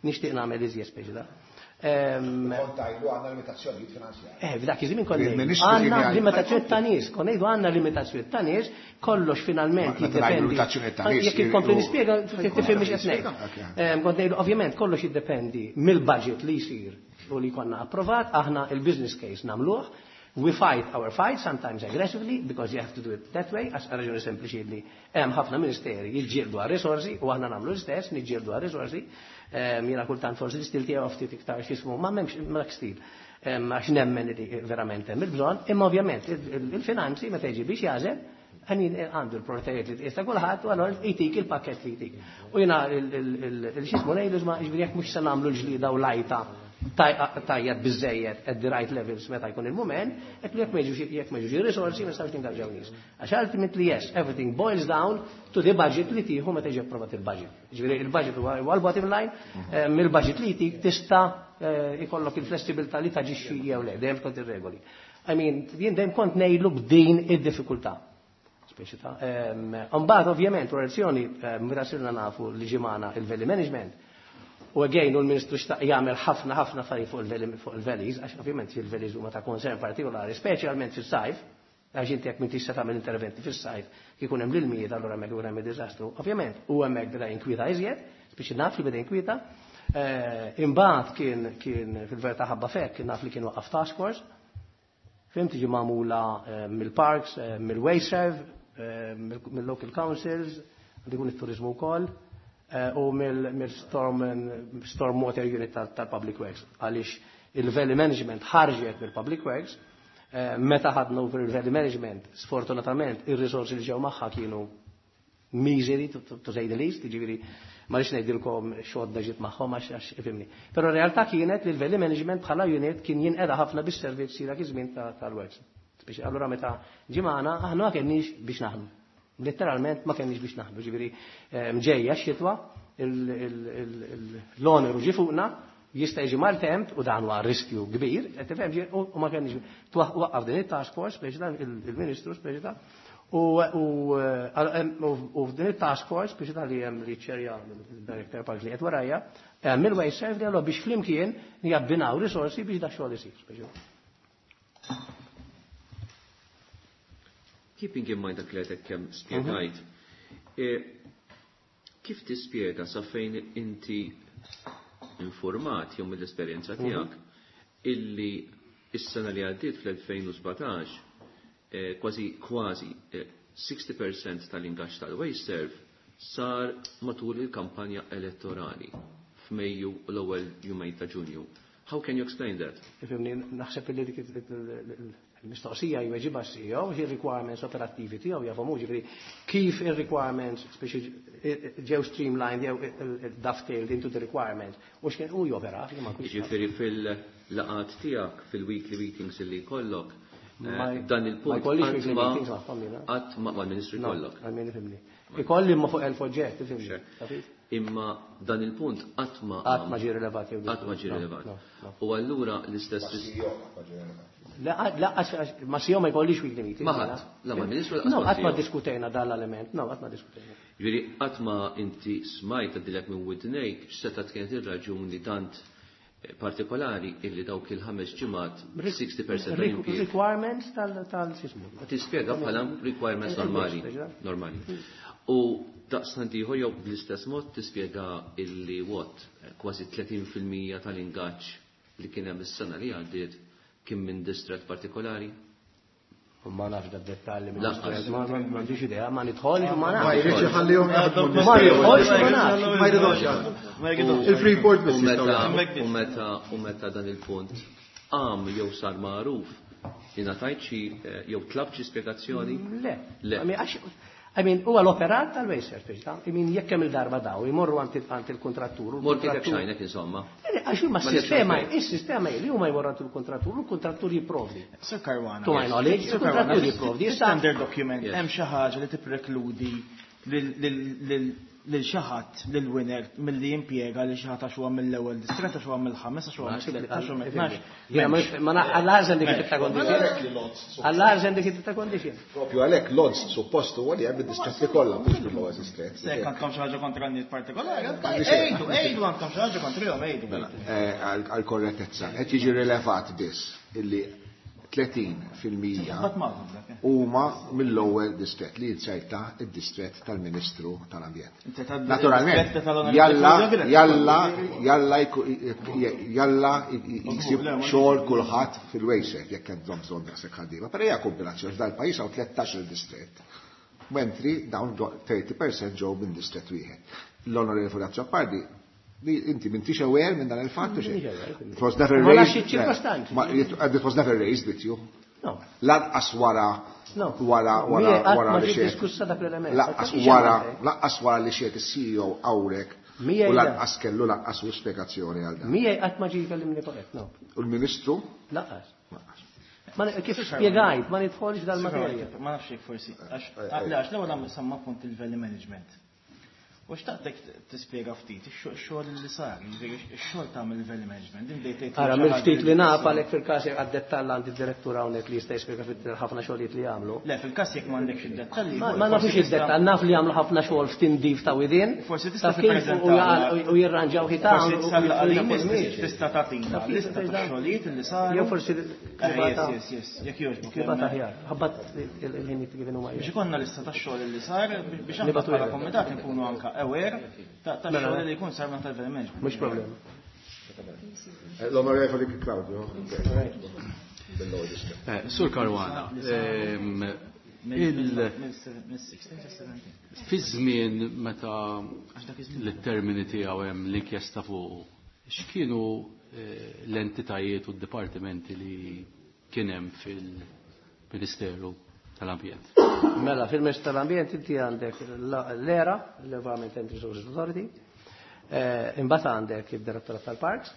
nixtieq nagħmel iżjed speċi ta' Kont tgħidlu għandna limitazzjonijiet finanzjarji. Eh, f'dak iż-żmien kont għandna limitazzjoni ta' nies, kont ngħidu għandna limitazzjoni ta' nies, kollox finalment jiddependi. Jekk inkompli nispjega tifhem mhux qed ngħid. Kont ngħidu ovvjament kollox jiddependi mill-budget li jsir u li konna approvat, aħna il-business case nagħmluh. We fight our fight, sometimes aggressively, because you have to do it that way, għax raġuni sempliċi li hemm ħafna ministeri jiġġieldu għal risorsi u aħna nagħmlu l-istess, niġġieldu għal risorsi. Jiena kultant forsi l-istil tiegħu ftit iktar x'ismu, ma m'hemmx dak stil. Għax nemmen li verament hemm il-bżonn, imma ovvjament il-finanzi meta jiġi biex jażel, għanin għandu l-prioritajiet li tista' kulħadd u allura jtik il-pakket li jtik. U jiena il-xismu ngħidu isma' jiġifieri jekk mhux se nagħmlu l-ġlida u lajta tajjeb biżejjed at the right levels meta jkun il-moment, hekk jekk ma jekk ma jiġux risorsi ma nistgħux ningaġġaw nies. Għax ultimately, yes, everything boils down to the budget li tieħu meta jiġi approvat il-budget. Ġifieri il-budget huwa l-bottom line, mill-budget li jtik tista' ikollok il-flessibilità li taġixxi jew le, dejjem skont ir-regoli. I mean, jien dejjem kont ngħidlu b'din id-diffikultà. Speċi ta' mbagħad ovvjament relazzjoni meta sirna nafu li ġimana il-value management. U again, u l-Ministru xtaq jagħmel ħafna ħafna affarijiet fuq il-valleys, għax ovvjament il-valleys huma ta' concern partikolari, speċjalment fis-sajf. Għax inti jekk m'intix se tagħmel interventi fis-sajf kif ikun hemm l-ilmijiet allura hemmhekk ikun hemm id-diżastru. Ovvjament, u hemmhekk beda jinkwieta iżjed, biex naf li beda jinkwieta. Imbagħad kien kien fil-verità ħabba fekk naf li kien waqqaf task force. Fhimt tiġi magħmula mill-parks, mill-WasteServ, mill-local councils, għandu jkun it-turizmu wkoll, u mill-storm storm water unit tal-Public Works. Għaliex il-Valley Management ħarġet mill-Public Works, meta ħadna over il-Valley Management, sfortunatament ir-risorsi li ġew magħha kienu miżeri, to say the least, jiġifieri ma rridx ngħidilkom x'għodda ġiet magħhom għax ifhimni. Però r-realtà kienet li l-Valley Management bħala unit kien jinqeda ħafna bis-servizzi dak iż-żmien tal-Works. Biex allura meta ġimgħana aħna ma kenniex biex naħdmu. Letteralment ma kenniex biex naħdmu, ġifieri mġejja x-xitwa, l-oneru ġie fuqna, jista' jiġi maltemp u dan huwa riskju kbir, qed tifhem u ma kenniex waqqaf din it-task force biex dan il-Ministru biex dan u f'din it-task force biex dan li hemm li ċerja il-Director Park li qed warajja, hemm il-WasteServ li allura biex flimkien jabbinaw risorsi biex dak xogħol isir. Keeping in mind dak li għedek kemm spjegajt, kif tispjega sa fejn inti informat jew mill-esperjenza tiegħek illi is-sena li għaddiet fl-elfejn u sbatax kważi kważi sixty percent tal-ingaġġ tal-WasteServ sar matul il-kampanja elettorali f'Mejju u l-ewwel jumejn ta' Ġunju. How can you explain that? Ifhimni, naħseb li dik il-mistoqsija jweġibha S C E O, xi requirements operattivi tiegħu jafhom hu, ġifieri kif ir-requirements speċi ġew streamlined jew dovetailed into the requirements u x'kien hu jopera ma nkunx. Ġifieri fil-laqgħat tiegħek fil-weekly meetings illi jkollok, dan il-punt ma jkollix weekly meetings magħhom jiena. Qatt ma mal-Ministru jkollok. Għal-min ifhimni. Ikolli imma fuq elf oġġett, ifhimni. Imma dan il-punt qatt ma Qatt ma ġie rilevat jew qatt ma ġie rilevat. U allura l-istess La, la, ma S E O ma jkollix weekly meeting. Ma ħadd, la ma ministru No, qatt ma diskutejna dan l-element, no, qatt ma diskutejna. Ġifieri qatt ma inti smajt għaddilek minn widnejk x'seta' kienet ir-raġuni tant partikolari illi dawk il-ħames ġimgħat sixty percent tal-impjieg. Requirements tal-sismu. Tispjega bħala requirements normali, normali. U daqstant ieħor jew bl-istess mod tispjega illi what kważi tletin fil-mija tal-ingaġġ li kien hemm is-sena li għaddiet kien minn distret partikolari? U ma nafx da dettalji minn Lanqas. distret, ma-, ma-, ma għandix idea, ma nidħolx u ma nafx. Ma jridx iħallihom jaħdmu Ma nidħolx u ma nafx. Ma jridux jaħdmu. Ma jridux. Il-Freeport biss U jistgħu meta- jaħdmu. u meta, u meta dan il-punt qam jew sar magħruf, ingħatajt xi, eh, jew tlabt xi spjegazzjoni? Le. Le. I mean, għax, I mean, huwa l-operat tal-WasteServ, biex ta', I mean, jekk hemm il-darba daw, jmorru għand il-, għand il-kontrattur, u Mort jekk l-kontrattur xajnek, insomma. Le, għax huma Ma s-sistema, nifhem. is-sistema li huma jmorru għand il-kontrattur, u l-kontrattur jipprovdi. Sir Caruana. To my knowledge, Sir Caruana, il-kontrattur jipprovdi. Issa standard document, Yes. hemm xi ħaġa li tipprekludi lil, lil, lil, lil xi ħadd, lil winner milli jimpjega lil xi ħadd għax huwa mill-ewwel distret, għax huwa mill-ħames, għax huwa mill-tliet, għax huwa mill-tnax. Jiena ma nif-, ma na-, għall-arżen dik it-tip ta' condition. Għall-arżen dik it-tip ta' condition. Propju għalhekk l-odds suppost huwa li hemm id-distretti kollha mhux mill-ewwel distret. Se jekk għandkom xi ħaġa kontra n-nies partikolari, Għandi xejn. ejdu, ejdu għandkom xi ħaġa kontrihom, ejdu. Mela, eh, għal-, għal-korrettezza, qed jiġi rilevat biss illi tletin fil-mija Bat magħhom dak, eh. huma mill-ewwel distret li jinserta id-distret tal-Ministru tal-Ambjent. Inti tad- Naturalment, distret tal-Onorevoli jalla, Fulvio Grech. jalla, jalla jku-, jalla jsib Le, ma xogħol kulħadd fil-WasteServ jekk għandhom bżonn daqshekk ħaddiema. Però hija kombinazzjoni f'dal pajjiż hawn tlettax-il distret. Mentri dawn thirty percent ġew minn distret wieħed. L-Onorevoli Azzopardi, li inti m'intix aware minn dan il-fatt u xejn. M'intix aware. It was never Ma nafx raised. iċ-ċirkostanzi. Ma, it, and it was never raised with you. No. Lanqas wara, No. wara, wara, Miegħi qatt wara ma li ġiet xejn. diskussa dak l-element. Lanqas Qatt wara, xejn. lanqas wara li xejn is-C E O hawnhekk Miegħi u le. lanqas kellu lanqas u spjegazzjoni għal dan. Miegħi qatt ma ġie jkellimni fuq hekk, no. U l-Ministru? Lanqas. Lanqas. Ma ni-, kif spjegajt, ma nidħolx dal-materja. Ma nafx jekk forsi, għax, le, għax l-ewwel għam samma punt il-value management. U xtaqtek tispjega ftit ix-xogħol li sar, jiġifieri ix-xogħol ta' mill-value management. Din bdejt tgħid Ara, mill-ftit li naf għalhekk fil-każ għad-dettall għandi d-direttur hawnhekk li jista' jispjega fit ħafna xogħlijiet li jagħmlu. Le, fil-każ jekk m'għandekx id-dettalji. Ma nafux id-dettall, naf li jagħmlu ħafna xogħol f'tindif ta' widien. Forsi tista' Taf kif tippreżenta u jirranġaw ħitan. Forsi tista' tagħtina lista ta' xogħlijiet li saru. Jew forsi Eh, Yes, yes, yes, jekk jogħġbok. Nibgħat aħjar. Ħabbat il-ħin kif huma. Biex ikollna lista ta' xogħol li sar biex aħna Nibgħatu bħala lilek. komitat nkunu anka aware ta' ta' Mela. xogħol li jkun sar ma' tal-value management. Mhux problema. L-Onorevoli Claudio. Bil-logista. Eh, Sur Caruana, ehm, il- fi żmien meta l-termini tiegħu hemm l-inkjesta fuq, x'kienu eh, l-entitajiet u d-dipartimenti li kien hemm fil-Ministeru tal-Ambjent? Mela, fil-Ministeru tal-Ambjent inti għandek l-ERA, l-Environment and Resources Authority, eh, imbagħad għandek id-Direttorat tal-Parks,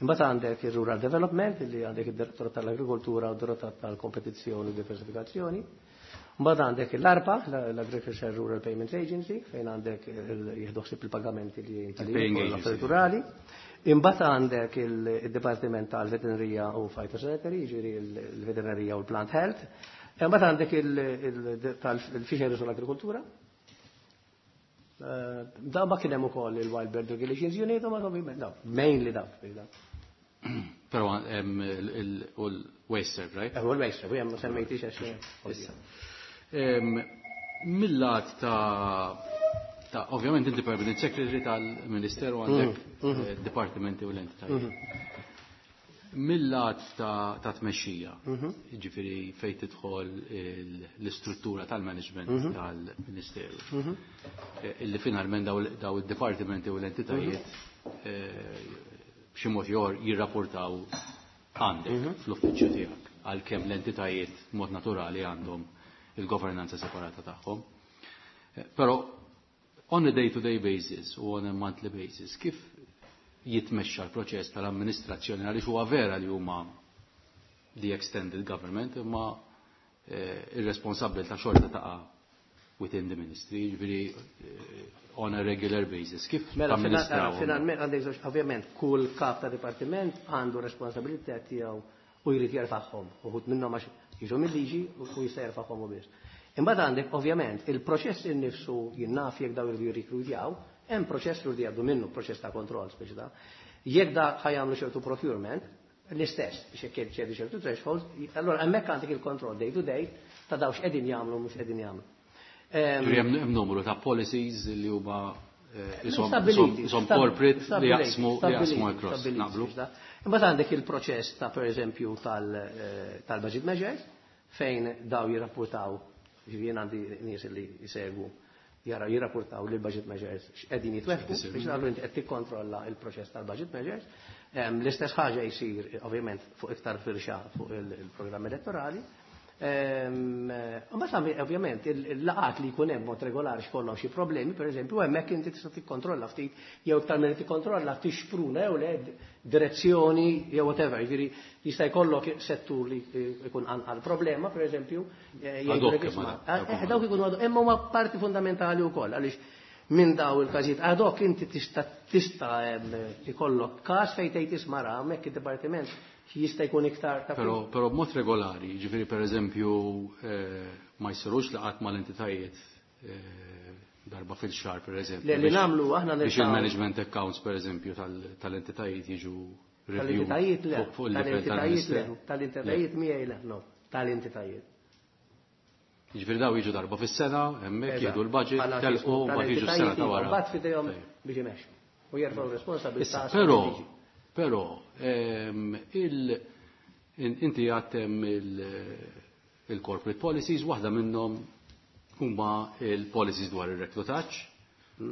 imbagħad għandek il-Rural Development, li għandek id-Direttorat tal-Agrikoltura u d-Direttorat tal-Kompetizzjoni u Diversifikazzjoni, imbagħad għandek l-ARPA, l-Agriculture Rural Payments Agency, fejn għandek jieħdu ħsieb il-pagamenti li Il-paying agency. rurali. Imbagħad għandek il-Dipartiment tal-Veterinerija u Phytosanitary, jiġifieri il-Veterinerija u l-Plant Health. Imbagħad għandek il-Fisheries u l-Agrikoltura. Eh, Da ma kien hemm ukoll il-Wild Bird Regulations Unit, u ma ovvjament, no, mainly dawk. Però hemm il-WasteServ, right? Eh, U l-Waste, u hemm ma semmejtix għax. Issa. Ehm, Mill-lat ta' ta' ovvjament inti permanent secretary tal-Ministeru għandek eh, dipartimenti u l-entitajiet. Mill-lat ta' ta' tmexxija, jiġifieri fejn tidħol il- l-istruttura tal-management tal-Ministeru. Eh, Illi finalment daw daw id-dipartimenti u l-entitajiet eh, b'xi mod ieħor jirrapportaw għandek fl-uffiċċju tiegħek għalkemm l-entitajiet mod naturali għandhom il-governanza separata tagħhom. Eh, Però on a day-to-day basis u on a monthly basis, kif jitmexxa l-proċess tal-amministrazzjoni għaliex huwa vera li huma the extended government imma eh, ir-responsabbiltà xorta taqa' within the ministry, jiġifieri eh, on a regular basis. Kif Mela, tamministrawhom? finalment għandek żewġ, ovvjament, kull kap ta' dipartiment għandu responsabilità tiegħu u jrid jerfagħhom. Uħud minnhom għax jiġu mill-liġi u jista' jerfagħhom u biss. Imbagħad għandek ovvjament il-proċess innifsu jien naf jekk daw iridu jirrikrutjaw, hemm proċess li jridu jgħaddu minnu, proċess ta' kontroll speċi ta' Jekk da ħa jagħmlu ċertu procurement, l-istess biex jekk ċertu ċertu threshold, allora hemmhekk għandek il-kontroll day to day ta' daw x'qegħdin jagħmlu u mhux qegħdin jagħmlu. Ehm, Ġifieri hemm hemm numru ta' policies li huma eh, isom Stabiliti, isom stab- corporate li stabiliti, jaqsmu li stabiliti, jaqsmu across. stabiliti, Naqblu? biex da. Imbagħad għandek il-proċess ta' pereżempju tal, eh, tal-budget measures fejn daw jirrapportaw, ġifieri jien għandi nies li jsegwu jara jirrapportaw li l-budget measures x'qegħdin jitwettqu biex allura inti qed tikkontrolla il-proċess tal-budget measures. Em, L-istess ħaġa jsir ovvjament fuq iktar firxa fuq il- il-programm elettorali. Ehm, Mbagħad ovvjament il-laqat li jkun hemm mod regolari x'kollhom xi problemi, pereżempju, hemmhekk inti tista' tikkontrolla ftit jew iktar milli tikkontrolla tixpruna jew le direzzjoni jew whatever. Jiġifieri jista' jkollok settur li jkun anqal problema, pereżempju, eh, Ad hoc, jgħidulek isma' ma da- eh, dawk ikunu ad hoc, imma huma parti fundamentali wkoll għaliex minn daw il-każijiet ad hoc inti tista' tista' em, ikollok każ fejn tgħid isma' ra hemmhekk id-dipartiment jista' jkun iktar ta' Però però b'mod regolari, ġifieri pereżempju eh, ma jsirux laqat mal-entitajiet eh, darba fil-xahar pereżempju. Le, li biex- nagħmlu aħna biex niltaqgħu- il-management accounts pereżempju tal- tal-entitajiet jiġu reviewed Tal-entitajiet le, fuq fuq il-livell tal-entitajiet le, tal-Ministeru. tal-entitajiet miegħi le, no, tal-entitajiet. Jiġifieri daw jiġu darba fis-sena, hemmhekk Eżatt. jieħdu l-budget, Bħala telqu tismu, mbagħad jiġu s-sena ta' wara. Mbagħad f'idejhom Tajjeb. biex imexxu u jerfgħu responsabilità. Issa, skont però, il-liġi. però, ehm, il, in- inti għattem il- il-corporate policies, waħda minnhom huma il-policies dwar ir-reklutaġġ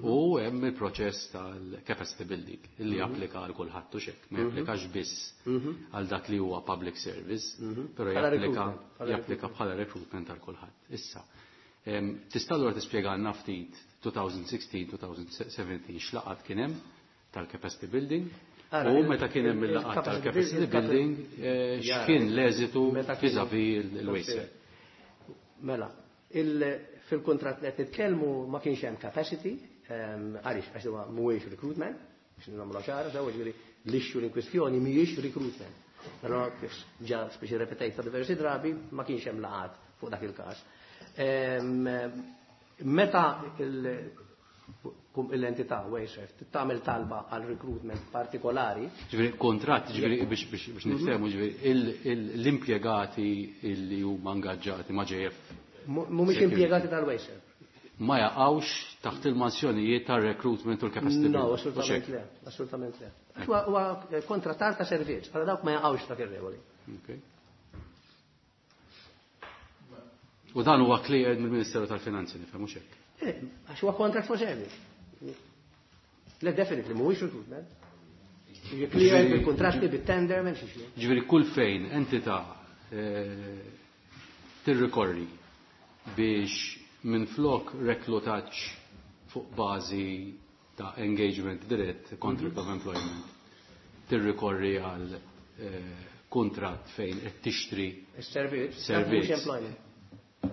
u hemm il-proċess tal-capacity building li japplika għal kulħadd u xek, ma japplikax biss għal dak li huwa public service, però Bħala japplika recruitment, bħala japplika bħala recruitment għal kulħadd. Issa, em, tista' allura tispjegalna ftit twenty sixteen twenty seventeen x'laqat kien hemm tal-capacity building Ara, u il- meta kien hemm il- il-laqat il-capacity tal-capacity building- building eh, Jara, x'kien l-eżitu meta kien- vis-à-vis il-WasteServ. Mela, il- Fil-kuntratt li qed nitkellmu ma kienx hemm capacity, għaliex għax huwa mhuwiex recruitment, biex nagħmlu ċara, sew ġifieri l-issue in kwistjoni mhijiex recruitment. Però kif ġa speċi repetejta diversi drabi ma kienx hemm laqat fuq dak il-każ. Meta l-entità Wasteserv tagħmel talba għal recruitment partikolari. Ġifieri kontratt, ġifieri biex biex niftehmu, ġifieri l-impjegati li huma ingaġġati ma' J F. Mhumiex impjegati tal-Wasteserv. Ma jaqgħux taħt il-mansjonijiet tar-recruitment u l-capacity. No, assolutament le, assolutament le. Huwa kontrattar ta' servizz, għal dawk ma jaqgħux dak ir-regoli. U dan huwa cleared mill-Ministeru tal-Finanzi, nifhem mhux hekk. Għax huwa contract for service. Le definitely mhuwiex recruitment. Jiġi cleared bil-kontratti, bit-tender, m'hemmx issue. Ġifieri kull fejn entità tirrikorri biex minflok reklutaġġ fuq bażi ta' engagement dirett, contract of employment, tirrikorri għal kontratt fejn qed tixtri is-servizz, servizz.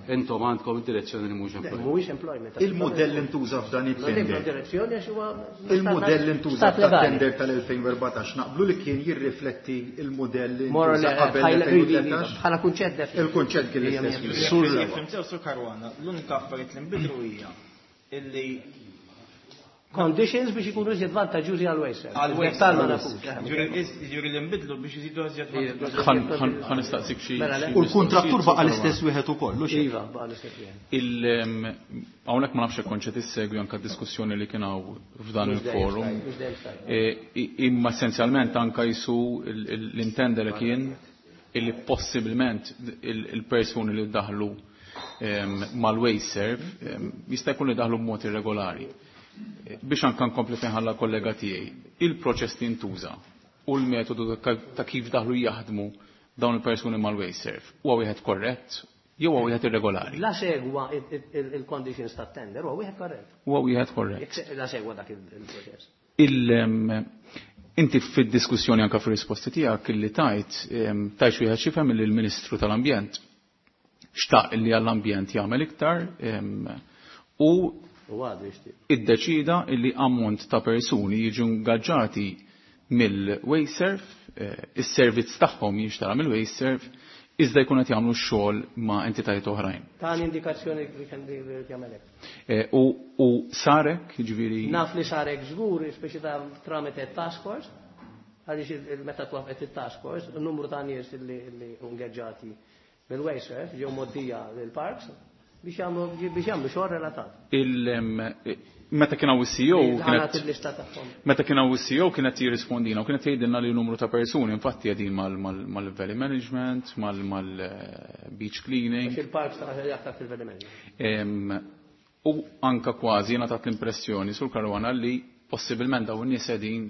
Intom għandkom id-direzzjoni li mhux employment. Mhuwiex employment. Il-modell intuża f'dan it-tender. Direzzjoni għax huwa Il-modell intuża f'dan-tender tal-elfejn u erbatax naqblu li kien jirrifletti il-modell intuża qabel l-elfejn u tlettax. Bħala kunċett definitely. Il-kunċett kien l-istess. Sur Fimtew Sur Caruana, l-unika affarijiet li nbidlu hija illi conditions biex ikunu iżjed vantaġġużi għal Wasteserv. Għal Wasteserv ma nafux. Ġifieri li nbidlu biex iżidu iżjed vantaġġużi. Ħa nistaqsik xi. U l-kuntrattur baqa' l-istess wieħed ukoll, hux? Iva, baqa' l-istess wieħed. Hawnhekk ma nafx hekk kontx qed issegwi anke d-diskussjoni li kien hawn f'dan il-forum. Imma essenzjalment anke jisu l-intender li kien illi possibilment il-persuni li daħlu mal-Wasteserv jista' jkun li daħlu b'mod irregolari. Biex anka nkompli fejn ħalla kollega tiegħi, il-proċess li ntuża u l-metodu ta' kif daħlu jaħdmu dawn il-persuni mal-Wasteserv huwa wieħed korrett jew huwa wieħed irregolari? La segwa il-conditions tat-tender huwa wieħed korrett. Huwa wieħed korrett. La segwa dak il-proċess. Inti fid-diskussjoni anka fir-risposti tiegħek illi tajt tajt wieħed xifhem li l-Ministru tal-Ambjent xtaq li għall-ambjent jagħmel iktar u iddeċida illi ammont ta' persuni jiġu ingaġġati mill-Wasteserv, is-servizz tagħhom jinxtara mill-Wasteserv, iżda jkun qed jagħmlu x-xogħol ma' entitajiet oħrajn. Tani indikazzjoni li kien jagħmel hekk. U sarek, jiġifieri. Naf li sarek żgur, speċi ta' tramite task force, għaliex meta twaqfet it-task force, n-numru ta' nies li ingaġġati mill-Wasteserv ġew moddija lill-parks biex jagħmlu xogħol relatat. Meta kien hawn is-C E O kienet meta kien hawn is-C E O kienet jirrispondina u kienet jgħidilna li numru ta' persuni infatti qegħdin mal-valley management, mal-beach cleaning. Għax il-parks ta' aktar fil-valley management. U anka kważi jiena tat l-impressjoni sur Caruana li possibilment dawn in-nies qegħdin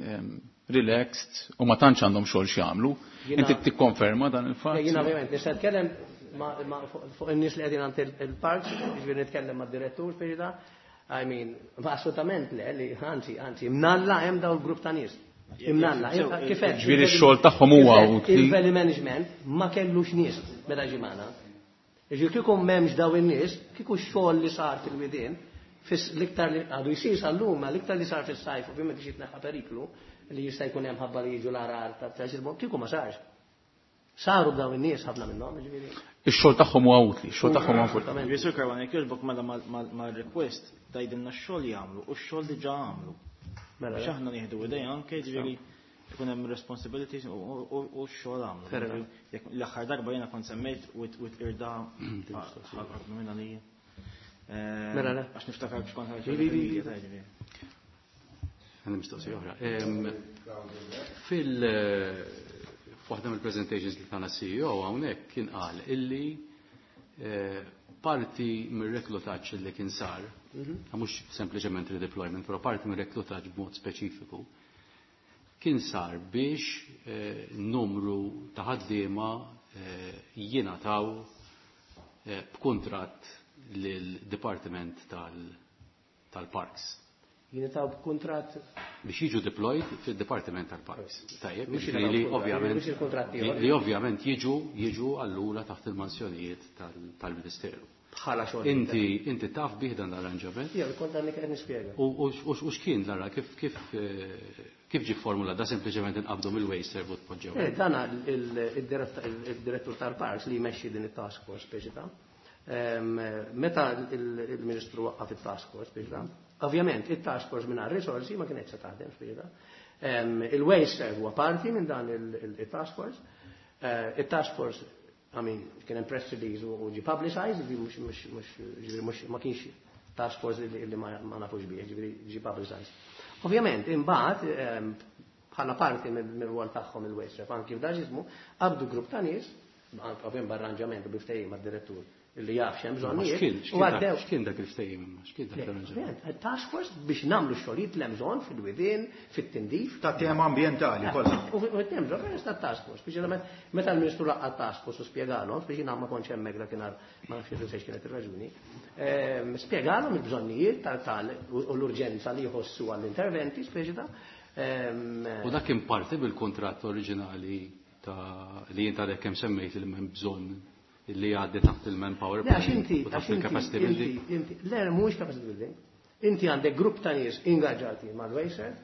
relaxed u ma tantx għandhom xogħol x'jagħmlu. Inti tikkonferma dan il-fatt? Jiena ovvjament nista' nitkellem fuq in-nies li qegħdin għand il-parks, jiġifieri nitkellem mad-direttur speċi ta' I mean, ma assolutament le, li anzi, anzi, imnalla hemm dawn il-grupp ta' nies. Imnalla, kif qed. Ġifieri x-xogħol tagħhom huwa utli. Il-valley management ma kellux nies meta ġie magħna. Jiġifieri kieku m'hemmx dawn in-nies, kieku x-xogħol li sar fil-widien, l-iktar li għadu jsir sal-lum, ma l-iktar li sar fis-sajf, ovvjament biex jitneħħa periklu li jista' jkun hemm ħabba li jiġu l-arar ta' ta' kieku ma sarx. Saru dawn in-nies ħafna minnhom, jiġifieri. Ix-xogħol tagħhom huwa utli, ix-xogħol tagħhom huwa utli. Ġifieri Sur Caruana, jekk jogħġbok mela mal-request tgħidilna x-xogħol jagħmlu u x-xogħol diġà għamlu. Mela, Biex aħna nieħdu idea anke, jiġifieri ikun hemm responsibilities u x-xogħol għamlu. Jekk l-aħħar darba jiena kont semmejt u t-irda ħafna minn għalija. Mela, le. Għax niftakar biex kont ħarġ il-media ta' jiġifieri. Għandi mistoqsija oħra. Fil f'waħda mill-presentations li tana C E O hawnhekk kien qal illi parti mir-reklutaġġ li kien sar, mhux sempliċement redeployment, però parti mir-reklutaġġ b'mod speċifiku, kien sar biex numru ta' ħaddiema jingħataw b'kuntratt lill-Departiment tal-Parks. Jingħataw b'kuntratt biex jiġu deployed fid-Departiment tal-Parks. Tajjeb, Mhux li il-kuntratt, ovvjament mhux il-kuntratt ieħor. li ovvjament jiġu, jiġu allura taħt il-mansjonijiet tal-Ministeru. bħala xogħol. Inti inti taf bih dan l-arranġament? Ija, kont għandek qed nispjega. U x'kien l-arra kif kif kif ġie formula da sempliċement inqabdu mill-WasteServ u tpoġġew? Eh, dan il-direttur tal-Parks li jmexxi din it-task force speċi ta'. Meta il-Ministru waqqaf it-task force speċi ta'. Ovvjament it-task force mingħajr risorsi ma kienx se taħdem speċi ta'. Il-WasteServ huwa parti minn dan il-task force. Il-task force, I mean, kien hemm press release u ġi publicized, mhux mhux ma kienx task force li ma nafux bih, ġifieri ġi publicized. Ovvjament, imbagħad bħala parti mill-rwol tagħhom il-WasteServ, anki f'dan ġismu, qabdu grupp ta' nies, ovvjament b'arranġament u bi ftehim mad-direttur illi jaf x'hemm bżonnijiet. U għaddew. X'kien dak il-ftehim imma? X'kien dak l-arranġament? Task force biex nagħmlu xogħlijiet li hemm bżonn fil-widien, fit-tindif. Ta' tema ambjentali kollha. U hemm bżonn ta' task force biex meta l-Ministru laqqa task force u spjegalhom, biex jiena ma kontx hemmhekk dakinhar ma nafx xi kienet ir-raġuni, spjegalhom il-bżonnijiet tal u l-urġenza li jħossu għall-interventi, speċi ta'. U dak kien parti bil-kuntratt oriġinali ta' li jien għadek kemm semmejt li m'hemm bżonn li għaddi taħt il-manpower u taħt il-capacity building. Le, mhuwiex capacity building. Inti għandek grupp ta' nies ingaġġati mal-WasteServ,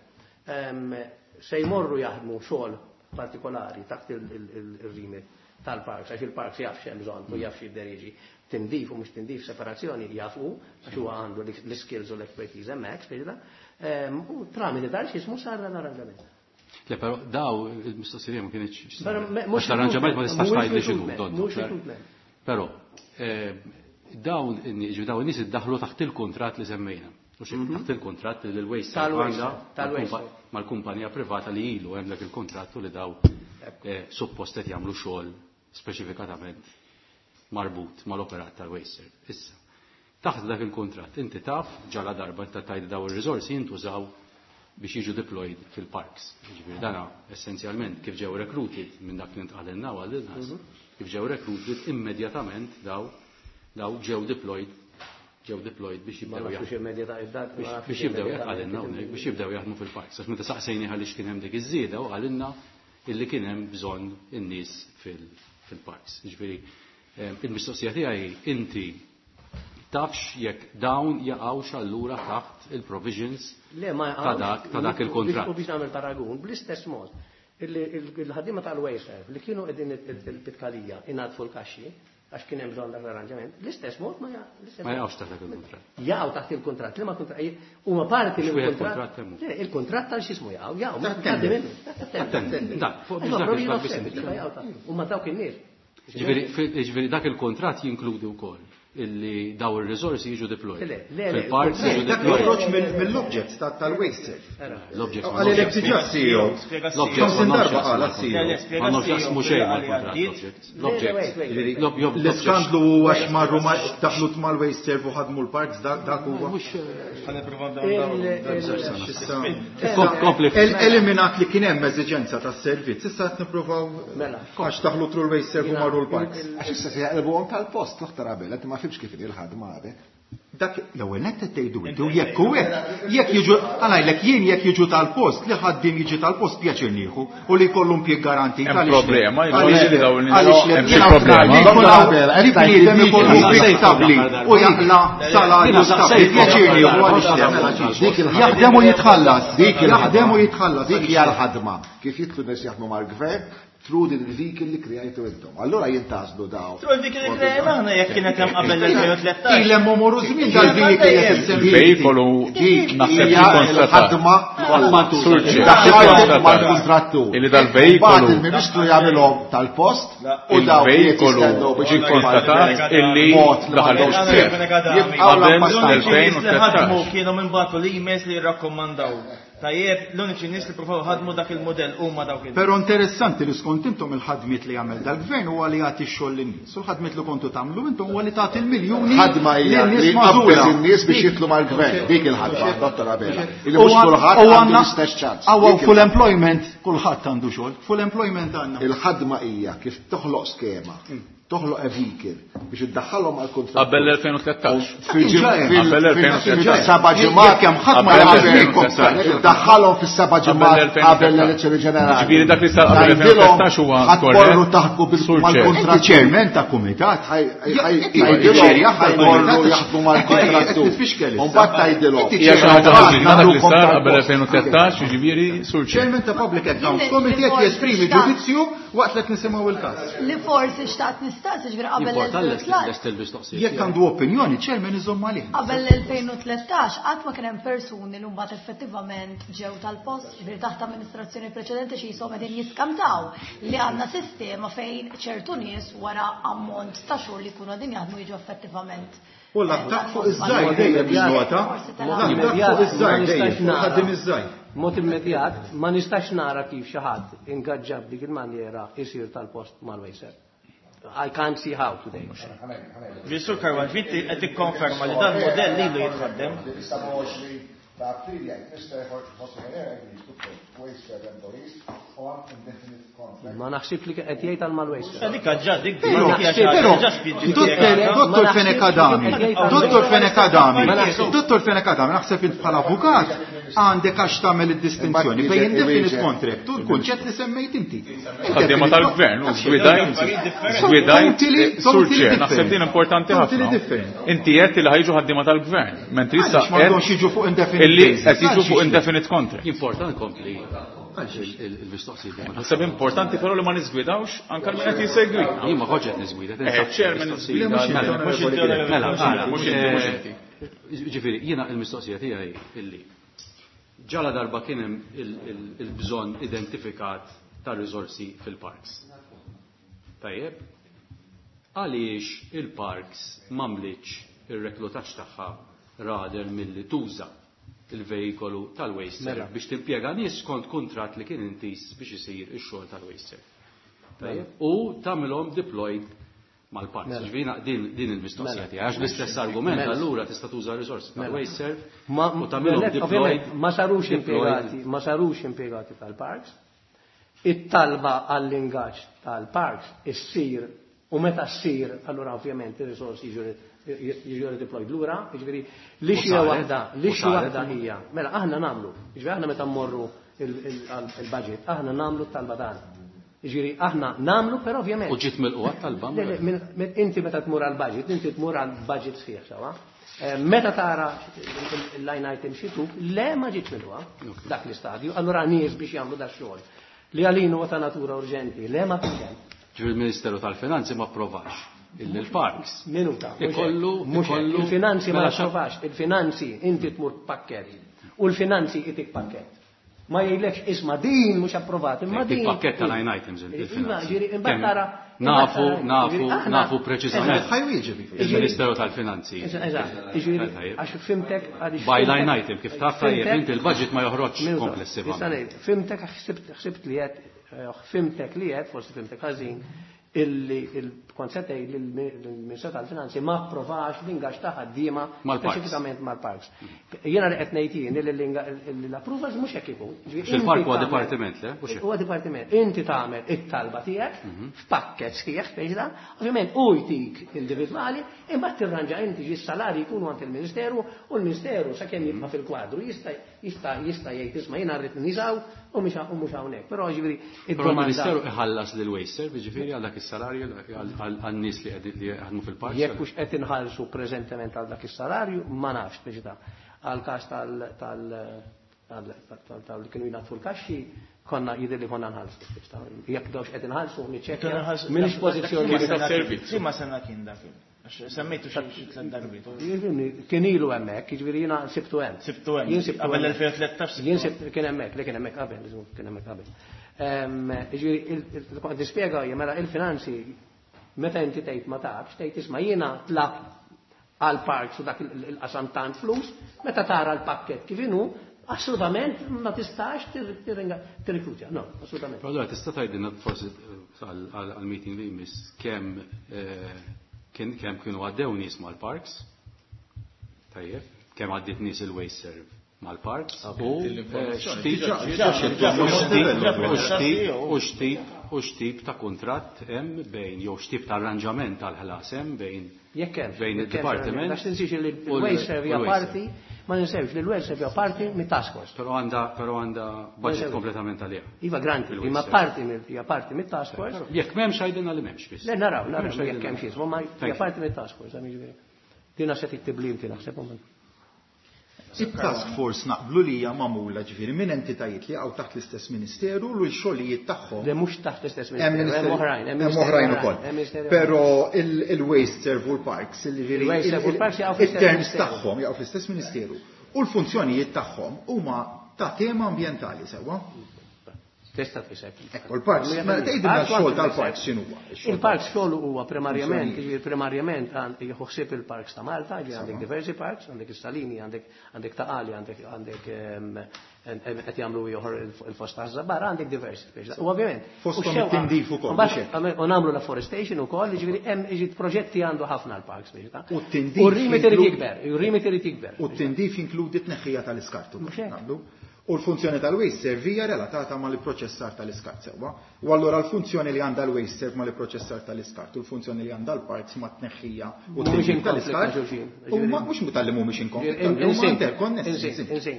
se jmorru jaħdmu xogħol partikolari taħt il-remit tal-parks, għax il-parks jaf x'hemm bżonn u jaf x'jidder jiġi tindif u mhux tindif, separazzjoni jafu, għax huwa għandu l-skills u l-expertise hemmhekk, speċi u tramite dan x'ismu sar dan l-arranġament. Le, però daw il-mistoqsija ma kienx. Mhux l-arranġament ma tistax tgħidli x'inhu. Mhux recruitment. Però dawn dawn in-nies iddaħlu taħt il-kuntratt li semmejna. U xi taħt il-kuntratt li l-WasteServ għandha mal-kumpanija privata li ilu hemm dak il-kuntratt u li daw suppost qed jagħmlu xogħol speċifikatament marbut mal-operat tal-WasteServ. Issa, taħt dak il-kuntratt inti taf ġala darba inta tgħid daw ir-riżorsi jintużaw biex jiġu deployed fil-parks. Ġifieri dana essenzjalment kif ġew recruited minn dak li ntqalilna għal nas, kif ġew recruited immedjatament daw daw ġew deployed ġew deployed biex jibdew jaħdmu. Biex jibdew jaħdmu biex jibdew jaħdmu fil-parks. Għax meta saqsejni għaliex kien hemm dik iż-żieda u qalilna illi kien hemm bżonn in-nies fil-parks. Ġifieri il-mistoqsija tiegħi inti tafx jekk dawn jaqgħux allura taħt il-provisions ta' dak ta' dak il-kontratt. U biex nagħmel paragun, bl-istess mod, il-ħaddiema tal-WasteServ li kienu qegħdin il-Pitkalija ingħadfu l-kaxxi għax kien hemm bżonn dak l-arranġament, l-istess mod ma Ma jaqgħux taħt dak il-kuntratt. Jaqgħu taħt il-kuntratt, liema kuntratt huma parti mill-kuntratt. Il-kuntratt tal x'ismu jaqgħu, jaqgħu. Dak, fuq biex dak Huma dawk in-nies. Ġifieri dak il-kuntratt jinkludi wkoll illi daw ir-riżorsi jiġu deployed. Fil-parks jiġu Dak deployed. joħroġ mill-objects tal-WasteServ. L-objects ma Għalli l diġà C E O. L-objects X'ħamsin darba qal C E O. Ma jaqsmu xejn mal-kuntratt l-objects. L-objects. L-iskandlu huwa x'marru daħlu mal-WasteServ u ħadmu l-parks dak huwa. Kompli. Eliminat li kien hemm eżiġenza tas-servizz, issa qed nippruvaw għax daħlu through l-WasteServ u marru l-parks. Għax issa se jaqilbuhom tal-post, Dottor Abela, inti ma fimx kif il-ħadma għadek. Dak l-ewwel nett qed tgħidu inti u jekk hu hekk, jekk jiġu għalajlek jien jekk jiġu tal-post, li ħaddiem jiġi tal-post pjaċir nieħu u li jkollu impjieg garantit. Hemm Għaliex le? problema, Għaliex jiġifieri le? dawn in-nies Għaliex le? hemm xi Jiena problema. li jkun hawn li bniedem ikollu impjieg stabbli u jaqla salarju stabbli, pjaċir nieħu għaliex le? Mela Dik il-ħadma. Jaħdem u jitħallas. Dik il-ħadma. Jaħdem u jitħallas. Dik hija l-ħadma. Kif jidħlu nies jaħdmu mal-gvern, through din il-vehicle li krejajtu intom. Allura jintgħażlu daw. Through il-vehicle li krejajna aħna jekk kienet hemm qabel l-elfejn u tlettax. Ilhem omorru żmien dal-vehicle qed issemmi. Il-veikolu Dik naħseb hija konstatat. l-ħadma Surġi, daħħalhom mal-kontrattur. Illi dal-veikolu Mbagħad il-Ministru jagħmilhom tal-post u daw li qed il-veikolu jistennew biex ġie konstatat illi mod li daħalhom m'għandhomx seħ. Jibqgħu Qabel l-abbastanza. l-elfejn u Li ħadmu tlettax. kienu minn bagħtu l-emails li jirrakkomandaw. Tajjeb, l-uniċi nies li provaw ħadmu dak il-modell huma dawk il. Però interessanti li skont intom il-ħadmiet li jagħmel dal-gvern huwa li jagħti x-xogħol lin-nies. U l-ħadmiet li kontu tagħmlu intom huwa li tagħti l-miljuni Ħadma hija lin-nies li magħżula. tqabbeż in-nies biex jidħlu mal-gvern. Dik il-ħadma, Dottor Abela. Illi U mhux kulħadd u għandu għandna- l-istess ċans. Għaw Dik full il-ħadma. employment, kulħadd għandu xogħol. Full employment għandna. Il-ħadma hija kif toħloq skema Toħloq a vehicle biex iddaħħalhom għal kuntratt. Qabel l-elfejn u tlettax. Qabel l-elfejn u tlettax. Seba' ġimgħat kemm ħadd ma iddaħħalhom fis-seba' ġimgħat qabel l-elezzjoni ġenerali. Ġifieri dak li sar qabel l-elfejn u tlettax huwa korrett. Taħdmu mal-kuntratt. Chairman ta' kumitat. Ħajmorru jaħdmu mal-kontrattur. Mbagħad tgħidilhom. Hija xi ħaġa ħażina dak li sar qabel elfejn u tlettax, jiġifieri sur Chairman ta' Public Accounts Committee qed jesprimi ġudizzju waqt li qed nisimgħu il-każ. Li forsi xtaqt nistaqsi ġifieri qabel l-elfejn. Jekk għandu opinjoni, chairman iżomm għalih. Qabel l-elfejn u tlettax qatt ma kien hemm persuni li mbagħad effettivament ġew tal-post, ġifieri taħt amministrazzjoni preċedenti xi jisom qegħdin jiskamtaw li għandna sistema fejn ċertu nies wara ammont ta' xhur li jkunu qegħdin jaħdmu jiġu effettivament. U l-attakk fuq iż-żgħir dejjem jinnota. L-attakk fuq iż-żgħir dejjem, ħaddim iż-żgħir. Mod immedjat ma nistax nara kif xi ħadd ingaġġa b'dik il-manjera isir tal-post mal-WasteServ. I can't see how today. Sur Karwan, ġifieri qed tikkonferma li dan modell lilu jitħaddem. Ta' April jgħid Mister José Herrera agrees to put WasteServ employees on indefinite contract. Ma naħsib li qed jgħid għal mal-WasteServ. Dik ġa dik Però Dottor Fenech Adami, Dottor Fenech Adami, Dottor Fenech Adami, naħseb int bħala avukat għandek għax tagħmel id-distinzjoni bejn indefinite contract u l-kunċett li semmejt inti. Ħaddiema tal-gvern u żgwidajt, żgwidajt, sur Chair, naħseb din importanti ħafna. Inti qed li ħajġu ħaddiema tal-gvern, mentri issa Għaliex m'għandhomx jiġu fuq indefinite illi qed jiġu fuq indefinite contract. Importanti kompli il-mistoqsijiet. Naħseb importanti però li ma niżgwidawx anke min qed jisegwi. Jien ma kontx qed niżgwida, Eh, chairman niżgwida. Mhux inti, Mela, mhux inti, mhux inti. Ġifieri, jiena il-mistoqsija tiegħi illi ġala darba kien hemm il-bżonn identifikat ta' riżorsi fil-parks. Tajjeb, għaliex il-parks m'għamlitx ir-reklutaġġ tagħha rather milli tuża il-vejkolu tal-WasteServ biex timpjega nies skont kuntratt li kien intis biex isir ix-xogħol tal-WasteServ. Tajjeb, u tagħmilhom deployed mal-parks. Ġifieri din din il-mistoqsija tiegħi, għax l-istess argument allura tista' tuża riżorsi tal-WasteServ u tagħmilhom deployed. Ma sarux impjegati, ma sarux impjegati tal-parks. It-talba għall-ingaġġ tal-parks issir u meta ssir allura ovvjament ir-risorsi jiġu redeployed lura, jiġifieri li xi waħda, li xi waħda hija. Mela aħna nagħmlu, jiġifieri aħna meta mmorru il-budget, aħna nagħmlu t-talba tagħna. Jiġifieri aħna nagħmlu però ovvjament. U ġiet mill-qwa talba? Le, le, inti meta tmur għall-budget, inti tmur għall-budget sħiħ sewa. Meta tara il-line item xituk, le ma ġietx mill-qwa dak l-istadju, allura nies biex jagħmlu da xogħol. Li għalinu huwa ta' natura urġenti, le ma kienx hemm. Ġifieri il-Ministeru tal-Finanzi ma approvax illi l-parks. Minuta, mhux hekk, Ikollu, mhux hekk. ikollu Il-finanzi ma mela xa- approvax, il-finanzi inti tmur pakket u l-finanzi itik pakket. Ma jgħidlekx isma' din mhux approvat, imma Dik din pakket ta' line items Iva, il-finanzi. ġifieri, imbagħad Kemm tara, nafu, imbagħad tara, nafu, ġifieri, aħna nafu preċiżament. Eżatt. Ħajwieġeb. Il-Ministeru tal-Finanzi. Eżatt, ġifieri, Tajjeb. għax fimtek, għaliex By fimtek- line item, kif taf tajjeb, fimtek- inti il-budget ma joħroġx Minuta, komplessivament. nista' ngħid, fimtek, ħsibt, ħsibt li qed, eh, fimtek li qed, forsi fimtek ħażin, illi il-konċett li l-Ministeru tal-Finanzi ma approvax l-ingaġġ ta' ħaddiema Mal-parks. speċifikament mal-parks. Jiena li qed ngħid jien li l-approvals mhux hekk ikun. Ġifieri Fil-park huwa inti tagħmel- dipartiment, le? Mhux hekk. Huwa dipartiment. Inti tagħmel it-talba tiegħek f'pakket sħiħ fejda, ovvjament u jtik individwali, imbagħad tirranġa inti ġi s-salari jkunu għand il-Ministeru u l-Ministeru sakemm jibqa' fil-kwadru jista' jista' jista' jgħid isma' jiena rrid niżaw u mhux u mhux hawnhekk. Però ġifieri Però id-domanda l-Ministeru iħallas lil WasteServ, jiġifieri għal dak is-salarju għan-nies li qegħdin li jaħdmu fil-park. Jekk hux qed inħallsu preżentement għal dak is-salarju, ma nafx biex ta' għal każ tal tal tal tal tal li kienu jnatfu l-kaxxi, konna jidher li konna nħallsu. Jekk dawx qed inħallsu, niċċekkja. M'iniex pożizzjoni Dak li servizz. Liema sena kien dak? Għax semmejtu xi xi tliet darbiet. Jiġifieri, kien ilu hemmhekk, jiġifieri jiena sibtu hemm. Sibtu hemm. Jien sibtu Qabel hemm. l-elfejn u tlettax sibtu Jien hemm. sibt kien hemmhekk, li kien hemmhekk qabel, kien hemmhekk qabel. Ehm, jiġifieri, il-, il-, kont nispjega hija, mela il-finanzi meta inti tgħid ma tafx, tgħid isma' jiena tlab għal parks u dak il-, il-qasam tant flus, meta tara l-pakket kif inhu, assolutament ma tistax tirriklutja. No, assolutament. Però allura tista' tgħidilna forsi għal-meeting li jmiss kemm, eh, kien, kemm kienu għaddew nies mal-parks, tajjeb, kemm għaddiet nies il-WasteServ mal-parks, u, eh, x'tip, u x'tip, u x'tip, u x'tip U x'tip ta' kuntratt hemm bejn jew x'tip ta' arranġament tal-ħlas hemm bejn Jekk hemm bejn id-dipartiment. Għax tinsiex li l-Wasteserv hija parti, ma ninsewx li l-Wasteserv hija parti mit-task force. Però għandha però għandha budget kompletament għaliha. Iva granti, imma parti hija parti mit-task force. Jekk m'hemmx għajdilna li m'hemmx biss. Le naraw, naraw jekk hemm xi, ma hija parti mit-task force, jiġifieri. Dina se tiktib li inti naħseb. Il-task force naqblu li hija magħmula ġifieri minn entitajiet li jaqgħu taħt l-istess ministeru u l-xogħlijiet tagħhom. Le mhux taħt l-istess ministeru, hemm oħrajn, hemm oħrajn ukoll. Però il-Waste Serve u l-Parks, il-terms tagħhom jaqgħu fl-istess ministeru u l-funzjonijiet tagħhom huma ta' tema ambjentali sewwa. Tista' tfisser. Ekku l-parks, ma tgħidilna x-xogħol tal-parks x'inhu huwa. Il-parks xogħol huwa primarjament, jiġifieri primarjament jieħu ħsieb il-parks ta' Malta, jiġifieri għandek diversi parks, għandek is-Salini, għandek għandek Ta' Qali, għandek għandek qed jagħmlu ieħor il-fost taż-Żabbar, għandek diversi. U ovvjament. Fosthom it-tindif ukoll. U nagħmlu l-afforestation ukoll, jiġifieri hemm jiġi proġetti għandu ħafna l-parks biex ta'. U t-tindif. U r-remit irid jikber, u r-remit irid jikber. U t-tindif jinkludi t-tneħħija tal-iskart ukoll. U l-funzjoni tal-Wasteserv hija relatata mal-proċessar tal-iskart sewwa. U allura l-funzjoni li għandha l-Wasteserv mal-proċessar tal-iskart u l-funzjoni li għandha l-parks ma' tneħħija u t-tindif tal-iskart. U mhux tal-li mhumiex in konflitt, huma interkonnessi.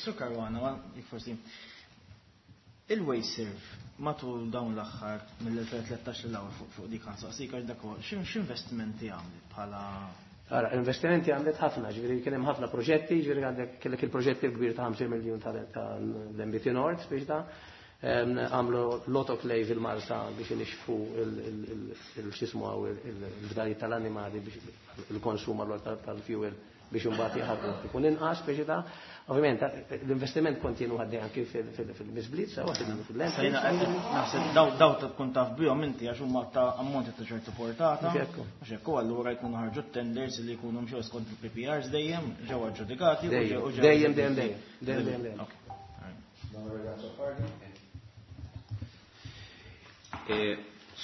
Sur Caruana, forsi. Il-Wasteserv matul dawn l-aħħar mill-elfejn tlettax l fuq dik ħansaqsik għax dak x'investimenti għamlet bħala. Ara, investimenti għamlet ħafna, ġifieri kien hemm ħafna proġetti, ġifieri għandek kellek il-proġetti l-kbir ta' ħamsin miljun tal-M B T Nord, biex ta' għamlu l-autoclave il-Marsa biex inixfu il-xismu għaw il-fdalijiet tal-animali biex il-konsum allura tal-fuel biex imbagħad jaħarqu ikun inqas biex ta' ovvjament l-investiment kontinu għaddej anki fil-misbliet sewa fil-lent. Naħseb daw daw tkun taf bihom inti għax huma ta' ammonti ta' ċertu portata. Mhux hekk, allura jkunu ħarġu tenders li jkunu mxew skont il-P P Rs dejjem ġew aġġudikati u ġew dejjem dejjem dejjem dejjem.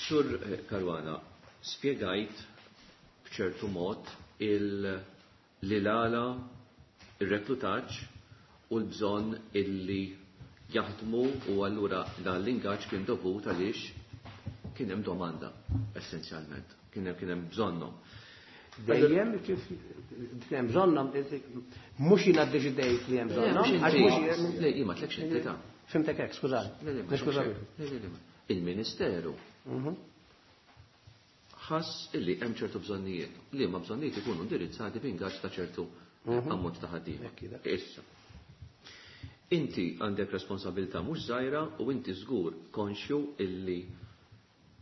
Sur Caruana, spjegajt b'ċertu mod il- li l-għala, il-reklutaġġ u l-bżonn illi jaħdmu u allura dan l-ingaġġ kien dovut għaliex kien hemm domanda essenzjalment, kien hemm kien hemm bżonnhom. Dejjem kif kien hemm bżonnhom, mhux jiena ddeċidejt li hemm bżonnhom, għax mhux Le, jien ma tlekx inti ta'. Fimtek hekk, skużani. Niskużani. Il-Ministeru ħass illi hemm ċertu bżonnijiet, li ma bżonnijiet ikunu indirizzati b'ingaġġ ta' ċertu ammont ta' ħaddiema. Issa. Inti għandek responsabilità mhux żgħira u inti żgur konxju illi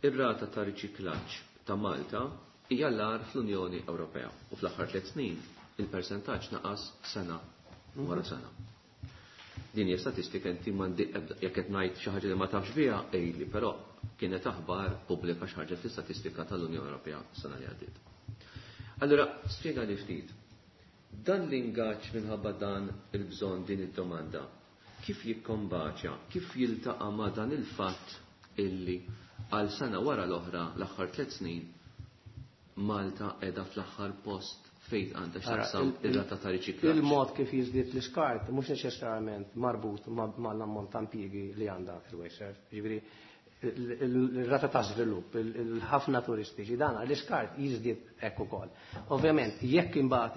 ir-rata ta' riċiklaġġ ta' Malta hija l-agħar fl-Unjoni Ewropea u fl-aħħar tliet snin il-persentaġġ naqas sena wara sena. Din hija statistika inti m'għandi ebda, jekk qed ngħid xi ħaġa li ma tafx biha għidli, però kienet aħbar pubblika xi ħaġa fl-istatistika tal-Unjoni Ewropea s-sena li għaddiet. Allura spjega li ftit. Dan l-ingaġġ minħabba dan il-bżonn din id-domanda, kif jikkombaċja, kif jiltaqa' ma' dan il-fatt illi għal sena wara l-oħra l-aħħar tliet snin Malta qiegħda fl-aħħar post fejn għandha x'taqsam ir-rata ta' riċiklaġġ. Il-mod kif jiżdied l-iskart mhux neċessarjament marbut mal-ammont ta' impjiegi li għandha il-Wasteserv. Jiġifieri il-rata ta' żvilupp, il-ħafna turistiċi, dan l-iskart jiżdied hekk ukoll. Ovvjament, jekk imbagħad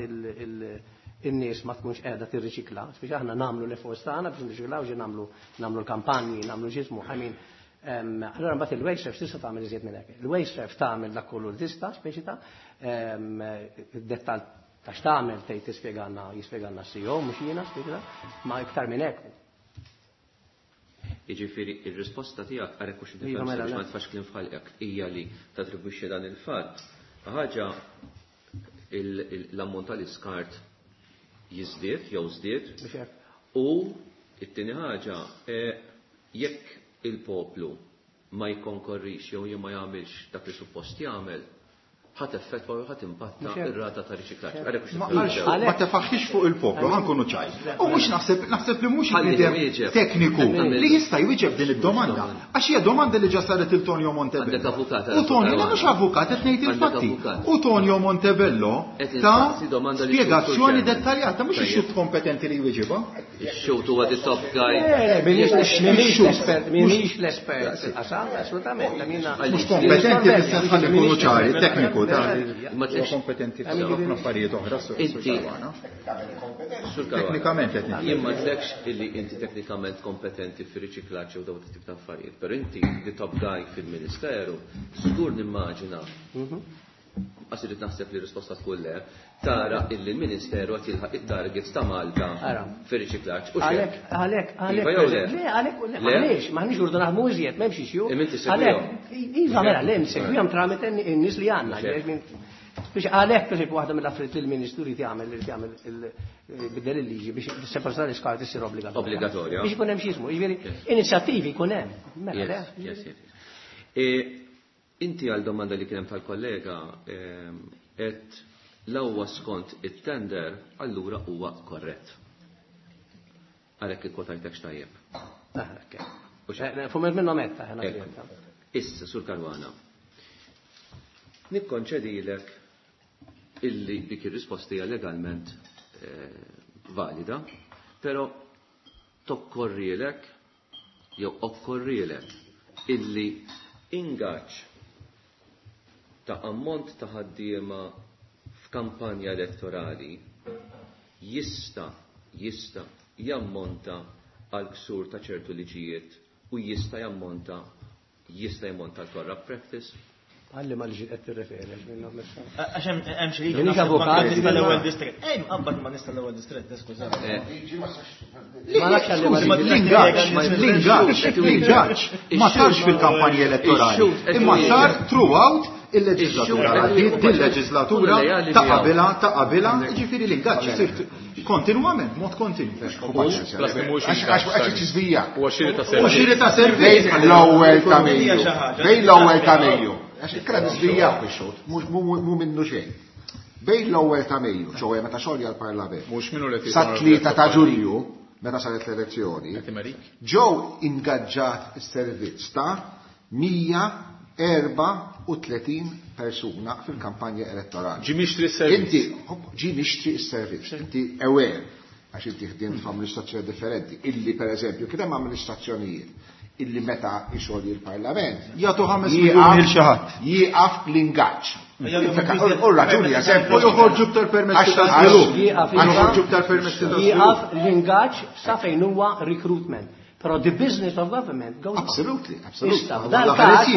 in-nies ma tkunx qiegħda tirriċikla, biex aħna nagħmlu l-efforts tagħna biex nirriċiklaw, ġi nagħmlu nagħmlu l-kampanji, nagħmlu ġismu, I mean, allora mbagħad il-Wasteserv tista' tagħmel iżjed minn hekk. Il-Wasteserv tagħmel dak kollu li tista' speċi ta' dettal ta' x'tagħmel tgħid tispjegalna jispjegalna C E O mhux jiena speċi ta' ma iktar minn hekk. Jiġifieri ir-risposta tiegħek għarek hux Iva, mela, biex ma tfax kliem f'ħalqek hija li tatribwixxi dan il-fatt. Ħaġa l-ammont tal-iskart jiżdied jew żdied. Biex hekk. U it-tieni ħaġa, jekk il-poplu ma jikkonkorrix jew ma jagħmilx dak li suppost jagħmel, Ħa teffettwa u ħa timpatta ir-rata ta' riċiklaġġ. Ma tefaħħix fuq il-poplu, ħa nkunu ċari. U mhux naħseb naħseb li mhux bniedem tekniku li jista' jwieġeb din id-domanda. Għax hija domanda li ġa saret il Tonio Montebello. U Tonio, le mhux avukat qed ngħid il-fatti. U Tonio Montebello ta spjegazzjoni dettaljata mhux ix-xhud kompetenti li jwieġibha. Ix-xhud huwa the top guy. M'iniex l-espert, m'iniex l-espert fil-qasam, assolutament. Mhux kompetenti fis-sens ħalli nkunu ċari, tekniku. Ma kompetenti f'ħafna affarijiet oħra. Inti teknikament qed jien ma tlekx illi inti teknikament kompetenti fir-riċiklaġġ u dawn it-tip ta' affarijiet, però inti the top guy fil-Ministeru, żgur nimmaġina għax irid naħseb li risposta tkun le, tara illi l-Ministeru qed jilħaq it-targets ta' Malta fir-riċiklaġġ. Għalhekk, għalhekk, għalhekk, le, għalhekk, għaliex, m'aħniex urdu naħdmu iżjed, m'hemmx issue. Għalhekk, iva mela, le, nsegwihom tramite n-nies li għandna. Biex għalhekk pereżempju waħda mill-affarijiet li l-Ministru jrid jagħmel irid jagħmel bidel il-liġi biex separazzjoni tal-iskart issir obbligatorja. Obbligatorja. Biex ikun hemm xi jismu, jiġifieri inizjattivi jkun hemm. Mela, le. Inti għal domanda li kien hemm tal-kollega qed l-ewwa skont it-tender allura huwa korrett. Għalhekk ikkwotajtek x'tajjeb. Fumet minnhom metta. Issa, Sur Caruana, nikkonċedilek illi dik ir-risposta hija legalment valida, però tokkorrilek jew okkorrilek illi ingaġġ ta' ammont ta' ħaddiema f'kampanja elettorali jista' jista' jammonta għal ksur ta' ċertu liġijiet u jista' jammonta jista' jammonta għal corrupt practice. Għalli ma liġi qed tirreferi għax minnhom issa. Għax hemm xi liġi naħseb nista' l-ewwel distrett. Ej, mqabbad ma nista' l-ewwel distrett, skuża. Ma nafx għalli ma l-ingaġġ, l-ingaġġ, l-ingaġġ ma sarx fil-kampanja elettorali, imma sar throughout il-leġislatura, il-leġislatura ta' qabilha, ta' qabilha, jiġifieri l-ingaġġ isir kontinwament, mod kontinu. Għax iġiżvija. Huwa xiri ta' U xiri ta' servizz. Bejn l-ewwel ta' Mejju. Bejn l-ewwel ta' Mejju. Għax ikkra niżvijaw ix-xogħol, mhu minnu xejn. Bejn l-ewwel ta' Mejju, ċowe meta xogħol għall-Parlament. Mhux minnu li Sa tlieta ta' Ġunju, meta saret l-elezzjoni, ġew ingaġġat is-servizz ta' mija erba' u tletin persuna fil-kampanja elettorali. Ġi mixtri s-servizz. Inti, ġi mixtri s-servizz. Inti aware, għax inti ħdimt f'amministrazzjoni differenti, illi per eżempju kien hemm amministrazzjonijiet illi meta ixogħli l-Parlament jagħtu ħames miljun lil xi ħadd. Jieqaf l-ingaġġ. U raġuni eżempju. U joħorġu b'tar permessi ta' żvilupp. Joħorġu b'tar permessi ta' żvilupp. Jieqaf l-ingaġġ sa fejn huwa recruitment. Però the business of government goes on. Absolutely, absolutely. Issa, dal-każ,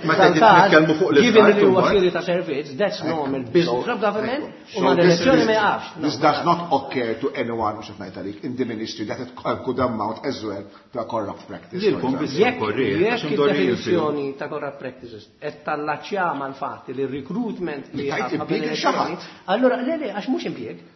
dal-każ, given li huwa xiri ta' servizz, that's normal business of government, u ma l-elezzjoni ma jaqafx. This does not occur to anyone, mhux qed ngħid għalik, in the ministry that it could amount as well to a corrupt practice. Lilkom biss Jekk jekk id-definizzjoni ta' corrupt practices qed tallaċċja mal-fatt li r-recruitment li Tajt jaqaf qabel impjieg l-elezzjoni, xi ħadd. allura le le għax mhux impjieg.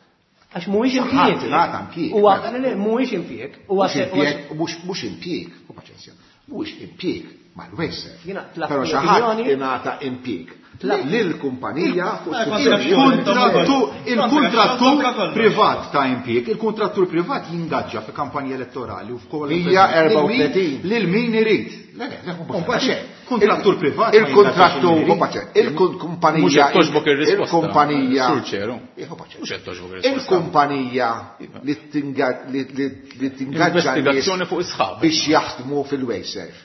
Għax mhuwiex impjieg. Ħadd impjieg. Huwa le le mhuwiex impjieg. Huwa Mhux se impjieg, mhux mhux impjieg, u paċenzja. Mhuwiex impjieg mal-Wasteserv. Jiena tlaqt Però xi ħadd opinjoni. ingħata impjieg. Tlaqt. Lil-kumpanija fuq Il-kontrattur, il-kontrattur privat ta' impjieg, il-kontrattur privat jingaġġa fi kampanja elettorali u f'koll Mija erba' u tletin. Lil min irid. Le, le, le, U mbagħad kontrattur privat ma Il-kontrattur, jingaġġax u paċe, il-kumpanija. Mhux qed toġbok ir-risposta. Il-kumpanija. Sur ċeru. Eh, u paċe. Mhux qed toġbok ir-risposta. Il-kumpanija li tinga-, li, li, li tingaġġa nies Investigazzjoni fuq is-sħab. biex jaħdmu fil-Wasteserv.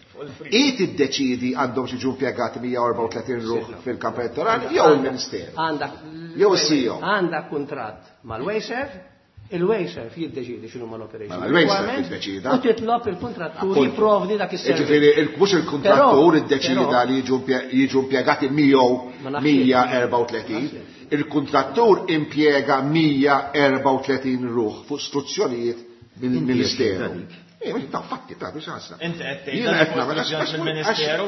I tiddeċidi għandhom xi ġu impjegati mija erba' u tletin ruħ fil-kamp elettorali jew il-Ministeru. Għandak Jew is-C E O. Għandak kuntratt mal-Wasteserv, il-Wasteserv jiddeċidi x'inhu mal-operation Mela, il-Wasteserv requirements jiddeċida. u titlob il-kontrattur Appunto. jipprovdi dak is-servizz. Jiġifieri, il-, mhux il-kontrattur Però, iddeċida però li jiġu impje-, jiġu impjegati miegħu Ma nafx mija jien. erba' u tletin. Il-kontrattur impjega mija erba' u tletin ruħ fuq struzzjonijiet mill-Ministeru. Eh, ta' fatti ta' biex ħassa. Inti qed tgħid mill-Ministeru.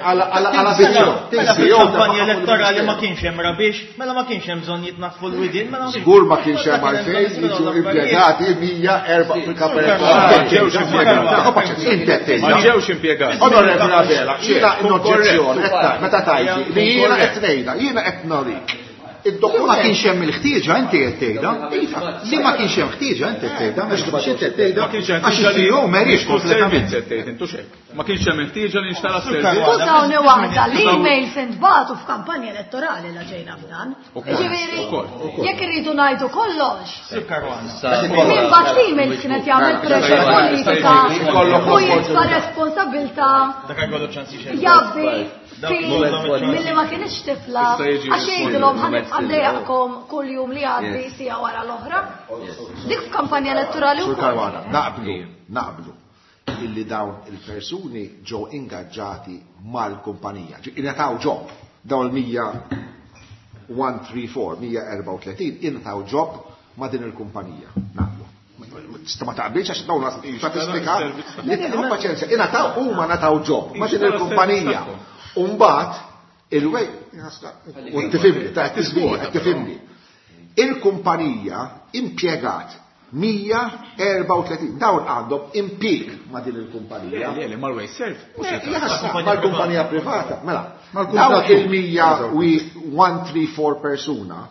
Għala fil-kampanja elettorali ma kienx hemm rabiex, mela ma kienx hemm bżonn jitnafffu l-widien, mela Żgur ma kienx hemm għalfejn jiġu impjegati mija erba' fil-kampanja elettorali. Ma ġewx impjegati. Inti qed tgħid. Ma ġewx impjegati. Onorevoli Abela, jiena n-oġġezzjoni qed meta tgħidli li jiena qed ngħidha, jiena qed norik. Li ma kienx hemm il-ħtieġa inti qed tgħidha. Li ma kienx hemm ħtieġa inti qed tgħidha, mhux inti qed tgħidha. Għax il-C E O m'għeriex kompletament. Ma kienx hemm il-ħtieġa li nxtara s-servizz. Skużawni waħda, l-emails intbagħtu f'kampanja elettorali la ġejna f'dan. Ġifieri, jekk irridu ngħidu kollox. Min bagħat l-emails kienet jagħmel pressure politika u jitfa' responsabilità jabbi milli ma kienx tifla għax jgħidilhom ħa nibqa' ndejjaqkom kull jum li għaddi sija wara l-oħra. Dik f'kampanja elettorali Sur Caruana, naqblu, naqblu illi dawn il-persuni ġew ingaġġati mal-kumpanija. Ingħataw job dawn il-mija one three four, mija erba' u tletin, ingħataw job ma' din il-kumpanija. Naqblu. Tista' ma taqbilx għax dawn statistika li tieħu paċenzja, ingħataw huma ngħataw job ma' din il-kumpanija. Umbagħad il-wej, u tifhimni, ta' tisbieħ, tifhimni. Il-kumpanija impjegat mija erba' u tletin. Dawn għandhom impjieg ma' din il-kumpanija. Le, le, mal-WasteServ. Mal-kumpanija privata. Mela, dawn il-mija u one three four persuna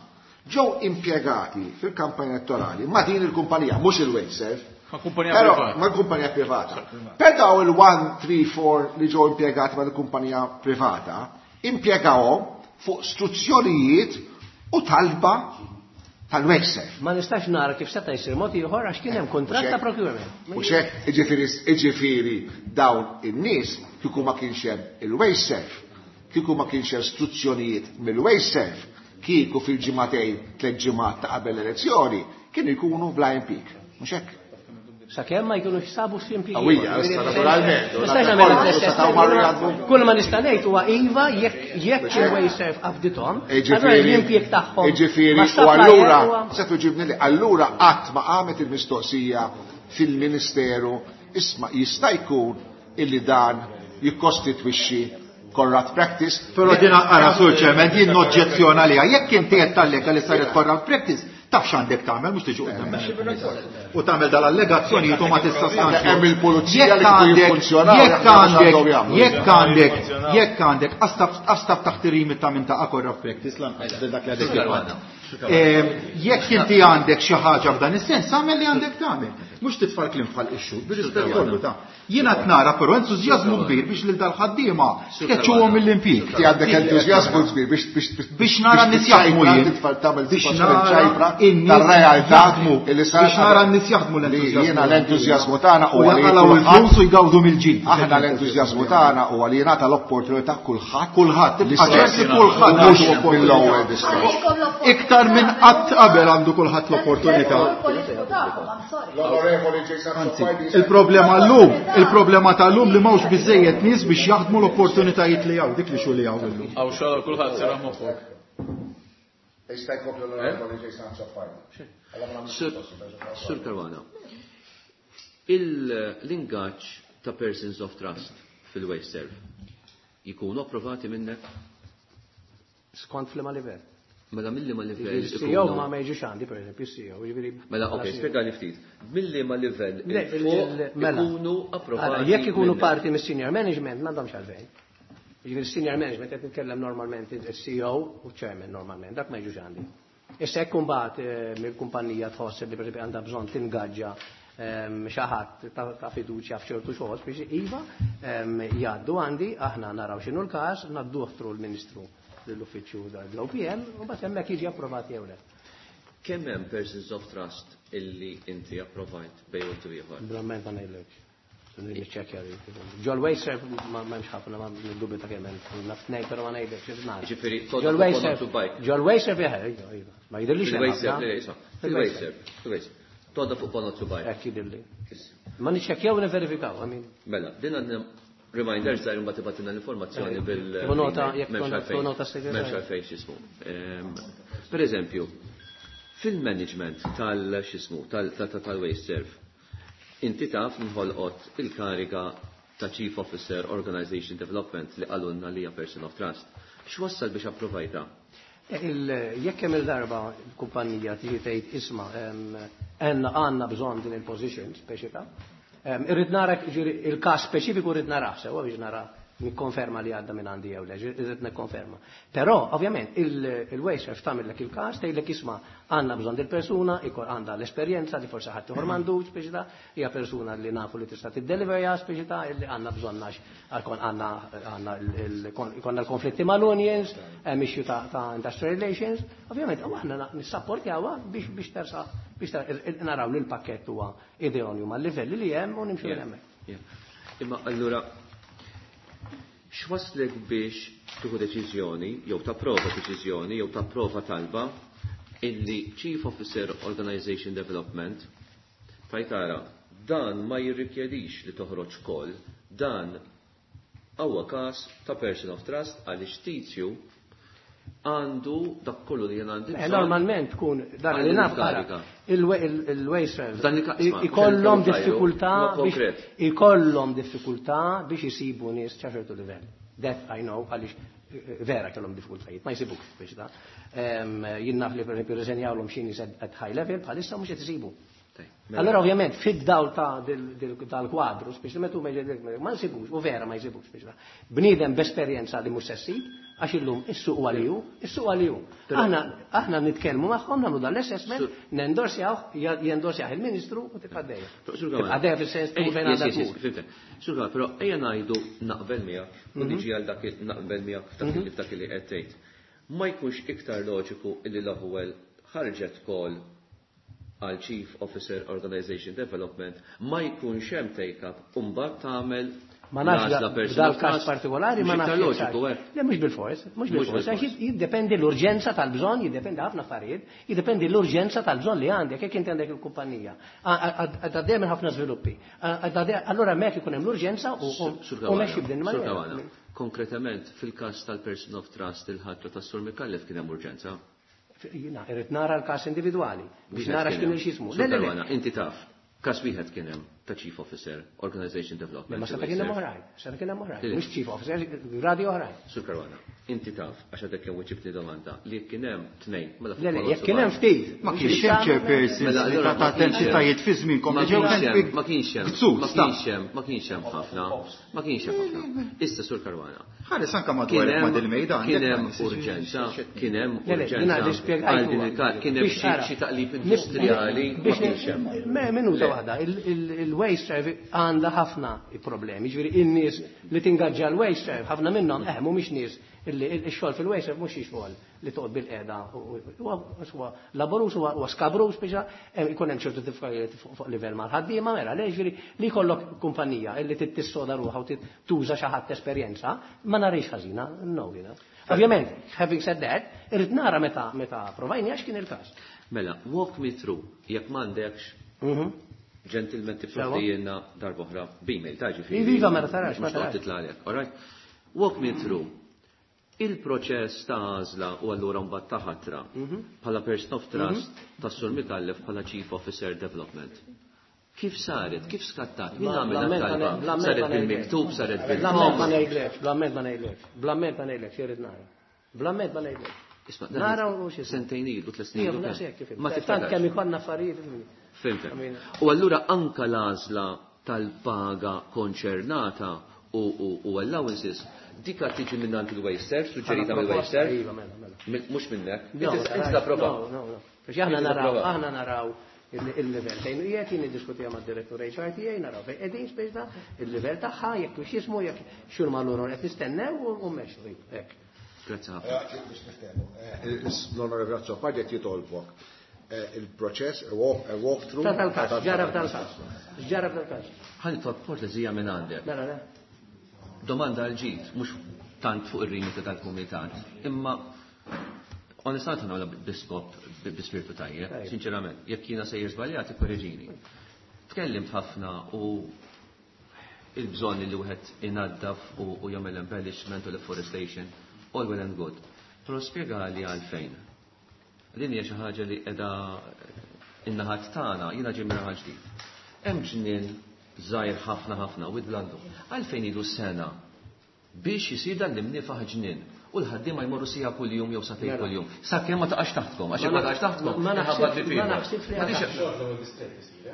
ġew impjegati fil-kampanja elettorali ma' din il-kumpanija, mhux il-WasteServ. Ma' kumpanija Però, privata. ma' kumpanija privata. Per daw il-one three four li ġew impjegati ma' kumpanija privata, impjegawhom fuq struzzjonijiet u talba tal-WasteServ. Ma nistax nara kif seta' jsir mod ieħor għax kien hemm kuntratt ta' procurement. U xek, jiġifieri, jiġifieri dawn in-nies kieku ma kienx hemm il-WasteServ, kieku ma kienx hemm struzzjonijiet mill-WasteServ, kieku fil-ġimagħtejn tliet ġimgħat ta' qabel l-elezzjoni, kienu jkunu bla impjieg. Mhux hekk? Sakemm ma jkunux sabu x'impjieg. Qawwija, issa naturalment. Nistax nagħmel Issa l-istess. taw marru jgħadmu. Kull ma nista' ngħid huwa iva jekk jekk il-WasteServ qabdithom, Jiġifieri, allura l-impjieg tagħhom jiġifieri, ma u supplier allura, huwa se tuġibni li, allura qatt ma qamet il-mistoqsija fil-Ministeru, isma' jista' jkun illi dan jikkostitwixxi corrupt practice. Però din ara Sur Chairman, jien noġġezzjona għaliha. Jekk inti qed tallega li saret corrupt practice, taf x'għandek tagħmel, mhux tiġi quddiem. U tagħmel dal-allegazzjonijiet u ma tissostanzja. Hemm il-pulizija li Jekk kieku għandek, jiffunzjonaw, jekk jaħdmu għandek, x'għandhom jagħmlu. jekk għandek, jekk għandek, astaf, astaf taħt ir-rimit ta' minn ta' corrupt practice lanqas dak li għadek kif għandek. Ehm, jekk inti għandek xi ħaġa f'dan is-sens, agħmel li għandek tagħmel. Mhux titfa' l-kliem bħal ixxu, bir-rispett kollu ta'. Jiena qed nara però entużjażmu kbir biex lil dal-ħaddiema tkeċċuhom mill-impjieg. Inti għandek entużjażmu kbir biex biex biex Biex nara n-nies jaħdmu jien. Titfa' tagħmel Biex titfa' nara ċajpra n-nies tar-realtà jaħdmu. illi sar Biex nara n-nies jaħdmu li l-entużjażmu. Jiena l-entużjażmu tagħna U huwa li jaqalgħu kulħadd il-flus u jgawdu mill-ġid. Aħna l-entużjażmu tagħna huwa li jingħata l-opportunità kulħadd. Kulħadd, tibqa' ċert li kulħadd Mhux għandu opportunità. mill-ewwel diskors. Iktar minn qatt qabel għandu kulħadd l-opportunità. L-Onorevoli Jason Anzi, il-problema llum, il-problema tal-lum li m'hawnx biżejjed nies biex jaħdmu l-opportunitajiet li hawn, dik li xogħol li hawn illum. Hawn xogħol kulħadd sera moħħok. Jista' jkompli l-Onorevoli Jason Azzopardi. Sur Caruana, l-ingaġġ ta' persons of trust fil-WasteServ jikunu approvati minnek? Skont fl-ma livell. Mela milli ma livell Il-C E O ikunu ma ma jiġux għandi, per eżempju, il-C E O, jiġifieri Mela, ok, mela C E O. spjegali ftit. Milli ma livell Le, il fuq il-, mela. ikunu approvati Ara, jekk ikunu minnek. parti mis-senior management, m'għandhomx għalfejn. Jiġifieri senior management qed nitkellem normalment il-C E O u chairman normalment, dak ma jiġux għandi. Issa jekk imbagħad, eh, mill-kumpanija tħoss li pereżempju għandha bżonn tingaġġa, ehm, xi ħadd ta', ta' fiduċja f'ċertu xogħol biex iva, ehm, jgħaddu għandi, aħna naraw x'inhu l-każ, ngħadduh through l-Ministru lill-uffiċċju l-O P M u mbagħad hemmhekk jiġi approvat jew le. Kemm hemm persons of trust illi inti approvajt bejn u ieħor? Verament ma ngħidlekx. Niċċekkja dik. Ġol WasteServ ma m'hemmx ħafna, ma niddubita kemm hemm. Naf tnejn, però ma ngħidlekx, xi nagħmel. Jiġifieri, Ġol todda WasteServ, fuq bike. ġol WasteServ jaħ, iva, iva. Ma jidhirlix li hemm Fil-WasteServ, ħafna. le, le, fil-WasteServ, fil-WasteServ. Todda fuq ponot bike. Hekk jidhirli. Ma niċċekkjaw u niverifikaw, I mean. Mela, din għandna reminder żgħir imbagħad tibgħatilna l-informazzjoni Eh, bil- Tieħu nota, jekk M'hemmx tkun għalfejn. nota segretarju. M'hemmx għalfejn x'ismu. Ehm, per eżempju, Fil-management tal-xismu, tal-WasteServ, inti taf nħolqot il-kariga ta' Chief Officer Organization Development li qalulna li hija Person of Trust. X'wassal biex approvajta? Jekk hemm il-darba l-kumpanija tiġi tgħid isma' għandna bżonn din il-position speċi ta'. Irrid nara il-każ speċifiku rrid narah sewwa biex nara nikkonferma li għadda minn għandi jew le, irrid nikkonferma. Però ovvjament il-WasteServ tagħmellek il-każ tgħidlek isma' għandna bżonn dil-persuna, ikol għandha l-esperjenza li forsi ħadd ieħor m'għandux speċi ta' hija persuna li nafu li tista' tiddeliverja speċi ta' illi għandna bżonn għax għandna għandna ikollna l-konflitti mal-unions, hemm issue ta' industrial relations, ovvjament u aħna nissapportjawha biex biex tersa biex naraw li l-pakkett huwa idonju mal-livelli li hemm u nimxu hemmhekk. Imma allura x'waslek biex tieħu deċiżjoni jew tapprova deċiżjoni jew tapprova talba illi Chief Officer Organization Development tajtara dan ma jirrikjedix li toħroġ call, dan huwa każ ta' person of trust għaliex tizju għandu dak kollu li jien għandi. Normalment tkun dak li naf il-WasteServ ikollhom diffikultà ikollhom diffikultà biex isibu nies ta' ċertu livell. That I know għaliex vera kellhom diffikultajiet, ma jsibux biex ta' jien naf li pereżempju rriżenjawlhom xi nies at high level bħalissa mhux qed isibu. Allora ovvjament fid-dawl ta' dal-kwadru, speċjalment huma ma nsibux, u vera ma jsibux biex ta' bniedem b'esperjenza li mhux se ssib, għax illum is-suq għaliju, is-suq għaliju. Aħna aħna nitkellmu magħhom nagħmlu dan l-assessment, nendorsjaw, jendorsjaw il-Ministru u tibqa' dejja. Tibqa' dejja fis-sens tkun fejn għandha tkun. Sur però ejja ngħidu naqbel miegħek u niġi għal dak naqbel miegħek f'dak li qed tgħid. Ma jkunx iktar loġiku illi l-ewwel ħarġet call għal Chief Officer Organization Development ma jkunx hemm take-up u mbagħad tagħmel ma nafx dal-każ partikolari ma nafx. Loġiku, eh? Le mhux bil-fors, mhux bil-fors, għax jiddependi l-urġenza tal-bżonn, jiddependi ħafna affarijiet, jiddependi l-urġenza tal-bżonn li għandek, jekk inti għandek il-kumpanija. Għaddej minn ħafna żviluppi. Allura hemmhekk ikun hemm l-urġenza u mexxi b'din il-maniera. Konkretament fil-każ tal-Person of Trust il-ħatra tas-Sur Micallef kien hemm urġenza. Jiena irrid nara l-każ individwali biex nara x'kien il-xismu. Le, le, inti taf. Każ wieħed kien hemm ta' Chief Officer Organization Development. Ma seta' kien hemm oħrajn, seta' kien hemm oħrajn, mhux Chief Officer, gradi oħrajn. Sur Caruana, inti taf għax għadek kemm weġibtni domanda li kien hemm tnejn mela Le, le, jekk kien hemm ftit. Ma kienx hemm chairpersons li ta' entitajiet fi żmienkom li ġew ma kienx hemm ma kienx hemm ma kienx hemm ħafna ma kienx hemm ħafna. Issa Sur Caruana. Ħares anke madwar ma' dil-mejda. Kien hemm urġenza, kien hemm urġenza. Kien hemm xi taqlib industrijali ma kienx hemm. Minuta waħda, il-WasteServ għandha ħafna problemi, ġifieri in-nies li tingaġġa l-WasteServ, ħafna minnhom eh mhumiex nies illi x-xogħol fil-WasteServ mhux xi xogħol li toqgħod bil-qiegħda huwa laborus huwa skabrus biex ikun hemm ċertu diffikultajiet fuq livell mal-ħaddiema mela le ġifieri li jkollok kumpanija illi tissoda ruħha u tuża xi ħadd esperjenza ma narix ħażina, no jiena. Ovvjament, having said that, irrid nara meta meta provajni għax kien il-każ. Mela, walk me through, jekk m'għandekx gentleman tipprovdilna darb'oħra b'email, ta' ġifieri. Iva, mela tarax, ma tarax. Titla' għalek, all right? Walk me through. Il-proċess ta' għażla u allura mbagħad ta' ħatra bħala person of trust tas-Sur Micallef bħala Chief Officer Development. Kif saret? Kif skattat? Min għamel talba? Saret bil-miktub, saret bil-Bl-amment ma ngħidlekx, bl-amment ma ngħidlekx, bl-amment ma ngħidlekx, irrid nara. Bl-amment ma ngħidlekx. Isma' Nara u xi sentejn ilu, tliet snin ilu. Ma tant kemm ikollna affarijiet. Fimtek. U allura anka l-għażla tal-paga konċernata u allowances, dika tiġi minn għand il-WasteServ, suġġerita mill-WasteServ? Mhux minnek. Inti tapprova. No, no. Biex aħna naraw, aħna naraw il-level fejn qiegħed jien niddiskutija mad-direttur H R T A naraw fejn qegħdin speċi il-level tagħha jekk hux jismu jekk xur ma lura qed nistennew u mmexxu hekk. Grazzi ħafna. Biex niftehmu. L-Onorevoli Azzopardi qed jitolbok il-proċess, a walk-through. Tal-każ, ġara f'dal-każ. Ġara f'dal-każ. Ħa nitlob kortesija minn għandek. Mela, le. Domanda għal ġid, mhux tant fuq ir-rimita tal-kumitat, imma onestament nagħmilha biskop bi spiritu tajjeb, sinċerament, jekk jiena sejjer żbaljat ikkoreġini. Tkellimt ħafna u il-bżonn li wieħed inaddaf u jagħmel embellishment u deforestation, all well and good. Però spjegali għalfejn. Din hija xi ħaġa li qiegħda in-naħat tagħna, jiena ġej minn raħal ġdid. Hemm ġnien żgħir ħafna ħafna u blandu. Għalfejn ilu sena biex jisir dan l-imnifaħ ġnien u l-ħaddiema jmorru sija kuljum jew sagħtejn kuljum. Sakemm ma taqax taħtkom, għax ma taqax taħtkom. Ma naħsibx li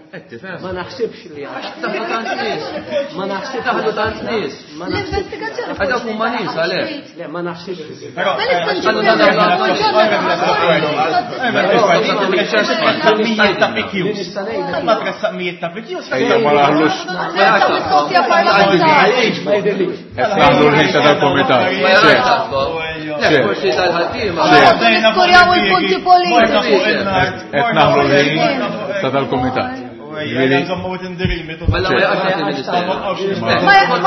Qed tifhem? Ma naħsibx li Għax taħlu tant nies. Ma naħsibx taħlu tant nies. L-investigazzjoni. Għax dawk huma nies għalhekk. Le, ma naħsibx. Mijiet ta' P Qs. Ma tressaq mijiet ta' P Qs. Ejja ma naħlux. Qed naħlu l-ħin ta' dal-komitat. Le, forsi tal-ħaddiema. Niskurjaw il-punti politiċi. Qed naħlu l-ħin ta' dal-komitat. Ma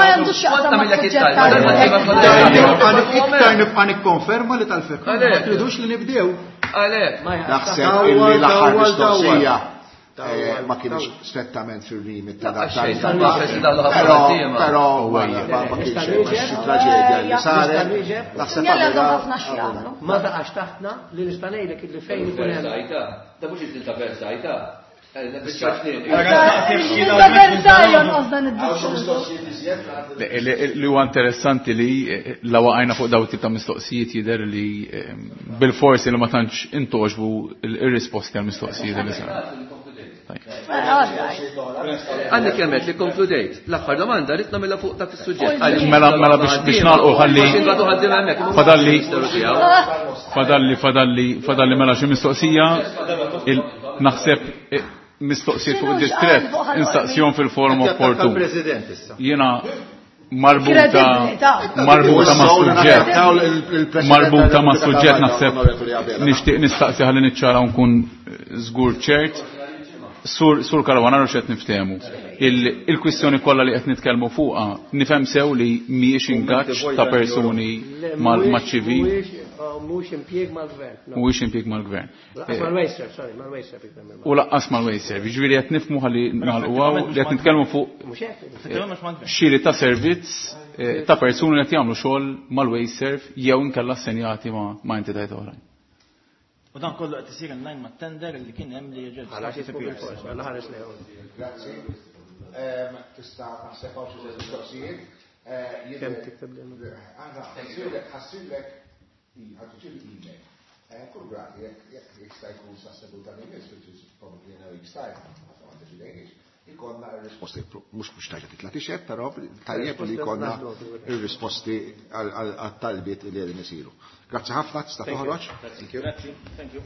jandux xaqsam ma' suġġett. Iktar nibqa' nikkonferma li tal-fekk. Ma tridux li nibdew. Għalhekk. Naħseb illi l-aħħar mistoqsija ma kienx strettament fil-limit ta' dak però però ma kienx xi traġedja li saret. Naħseb ma taqax taħtna li nista' ngħidlek illi fejn ikun hemm. Da mhux il ta' Versailles ta'. Li huwa interessanti li la waqajna fuq daw tip ta' mistoqsijiet jidher li bil-forsi li ma tantx intoġbu ir-risposti għal mistoqsijiet li saru. Għandek kemmet li konkludejt. L-aħħar domanda rrid nagħmilha fuq dak is-suġġett. Mela mela biex nagħlqu ħalli fadalli fadalli fadalli fadalli mela xi mistoqsija naħseb mistoqsijiet fuq id-distrett instaqsihom fil-forum opportun. Jiena marbuta marbuta ma' suġġett marbuta ma' suġġett naħseb nixtieq nistaqsi ħalli niċċara nkun żgur ċert. Sur, sur Caruana naraw x'qed niftehmu. Il-kwistjoni kollha li qed nitkellmu fuqha nifhem sew li mhijiex ingaġġ ta' persuni mal-ċivil. Mhuwiex impjieg mal-gvern. Mhuwiex impjieg mal-gvern. Laqqas mal-Wasteserv, sorry, mal-Wasteserv. U laqqas mal-Wasteserv. Jiġifieri qed nifhmu ħalli nagħlqu li qed nitkellmu fuq xiri ta' servizz ta' persuni li qed jagħmlu xogħol mal-Wasteserv jew inkella assenjati ma' entitajiet oħrajn. U dan kollu qed isir in line mat-tender li kien hemm li ġew. Grazzi. Tista' naħseb hawn xi mistoqsijiet. Kemm tikteb li ħassirlek ħadd email. Kull grati jekk jista' jkun sa seduta li jmiss, which is probably in a week's time, ma deċidejniex, ikonna r-risposti, mhux mhux tajja titla' tixed, però tajjeb li jkollna r-risposti għat-talbiet li qegħdin isiru. Grazzi ħafna, tista' toħroġ. Thank you. Grazzi, thank you.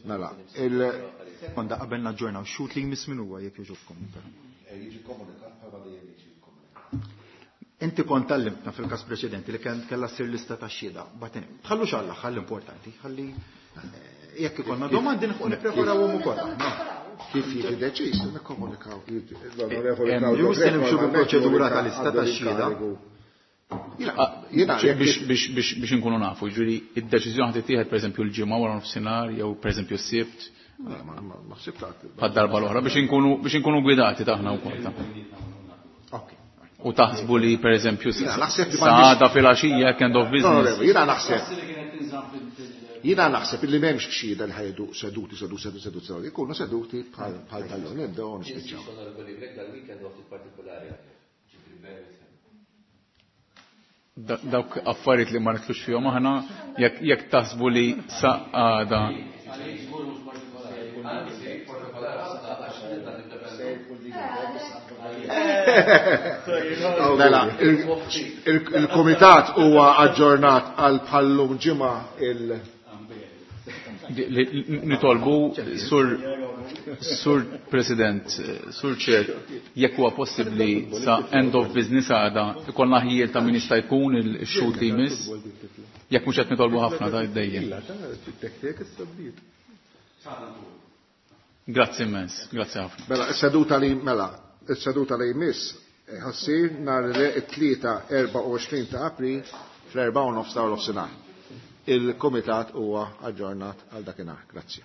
Mela, il Konda qabel naġġornaw xut li jmiss min huwa jekk jogħġobkom. Jiġi komunikat bħalma dejjem jiġi komunikat. Inti kont tallimtna fil-każ preċedenti li kellha ssir lista ta' xhieda. Tħallux għall-aħħar l-importanti, ħalli jekk ikollna domandi nippreparawhom ukoll. Kif jiġi deċiż, nikkomunikaw. Jew se nimxu bil-proċedura tal-lista ta' xhieda. Biex inkunu nafu, ġuri, id-deċiżjoni ħad tittieħed pereżempju l-ġimgħa wara nofsinhar jew pereżempju s-sibt. Bħad-darba l-oħra biex inkunu biex inkunu gwidati taħna wkoll. U taħsbu li pereżempju saħada fil-għaxija end of business. Jiena naħseb. Jiena naħseb illi m'hemmx xhieda li ħajdu seduti, seduti, seduti, seduti, seduti, ikunu seduti bħal tal-lum, nibdew nispiċċaw. Dawk affarijiet li ma nitlux fihom aħna jekk taħsbu li sa għada. Mela, il-komitat huwa aġġornat għal bħallum ġimgħa il- Nitolbu, sur, sur President, sur Chair, jekk huwa possibbli sa end of business għada, ikollna ħjiel ta' min jista' jkun il-xhud li jmiss, jekk mhux qed nitolbu ħafna ta' dejjem. Grazzi immens, grazzi ħafna. Mela, is-seduta li mela, is-seduta li jmiss ħassir nhar it-tlieta erbgħa u għoxrin ta' April fl-erbgħa u nofs ta' nofsinhar. Il-komitat huwa aġġornat għal dakinhar. Grazzi.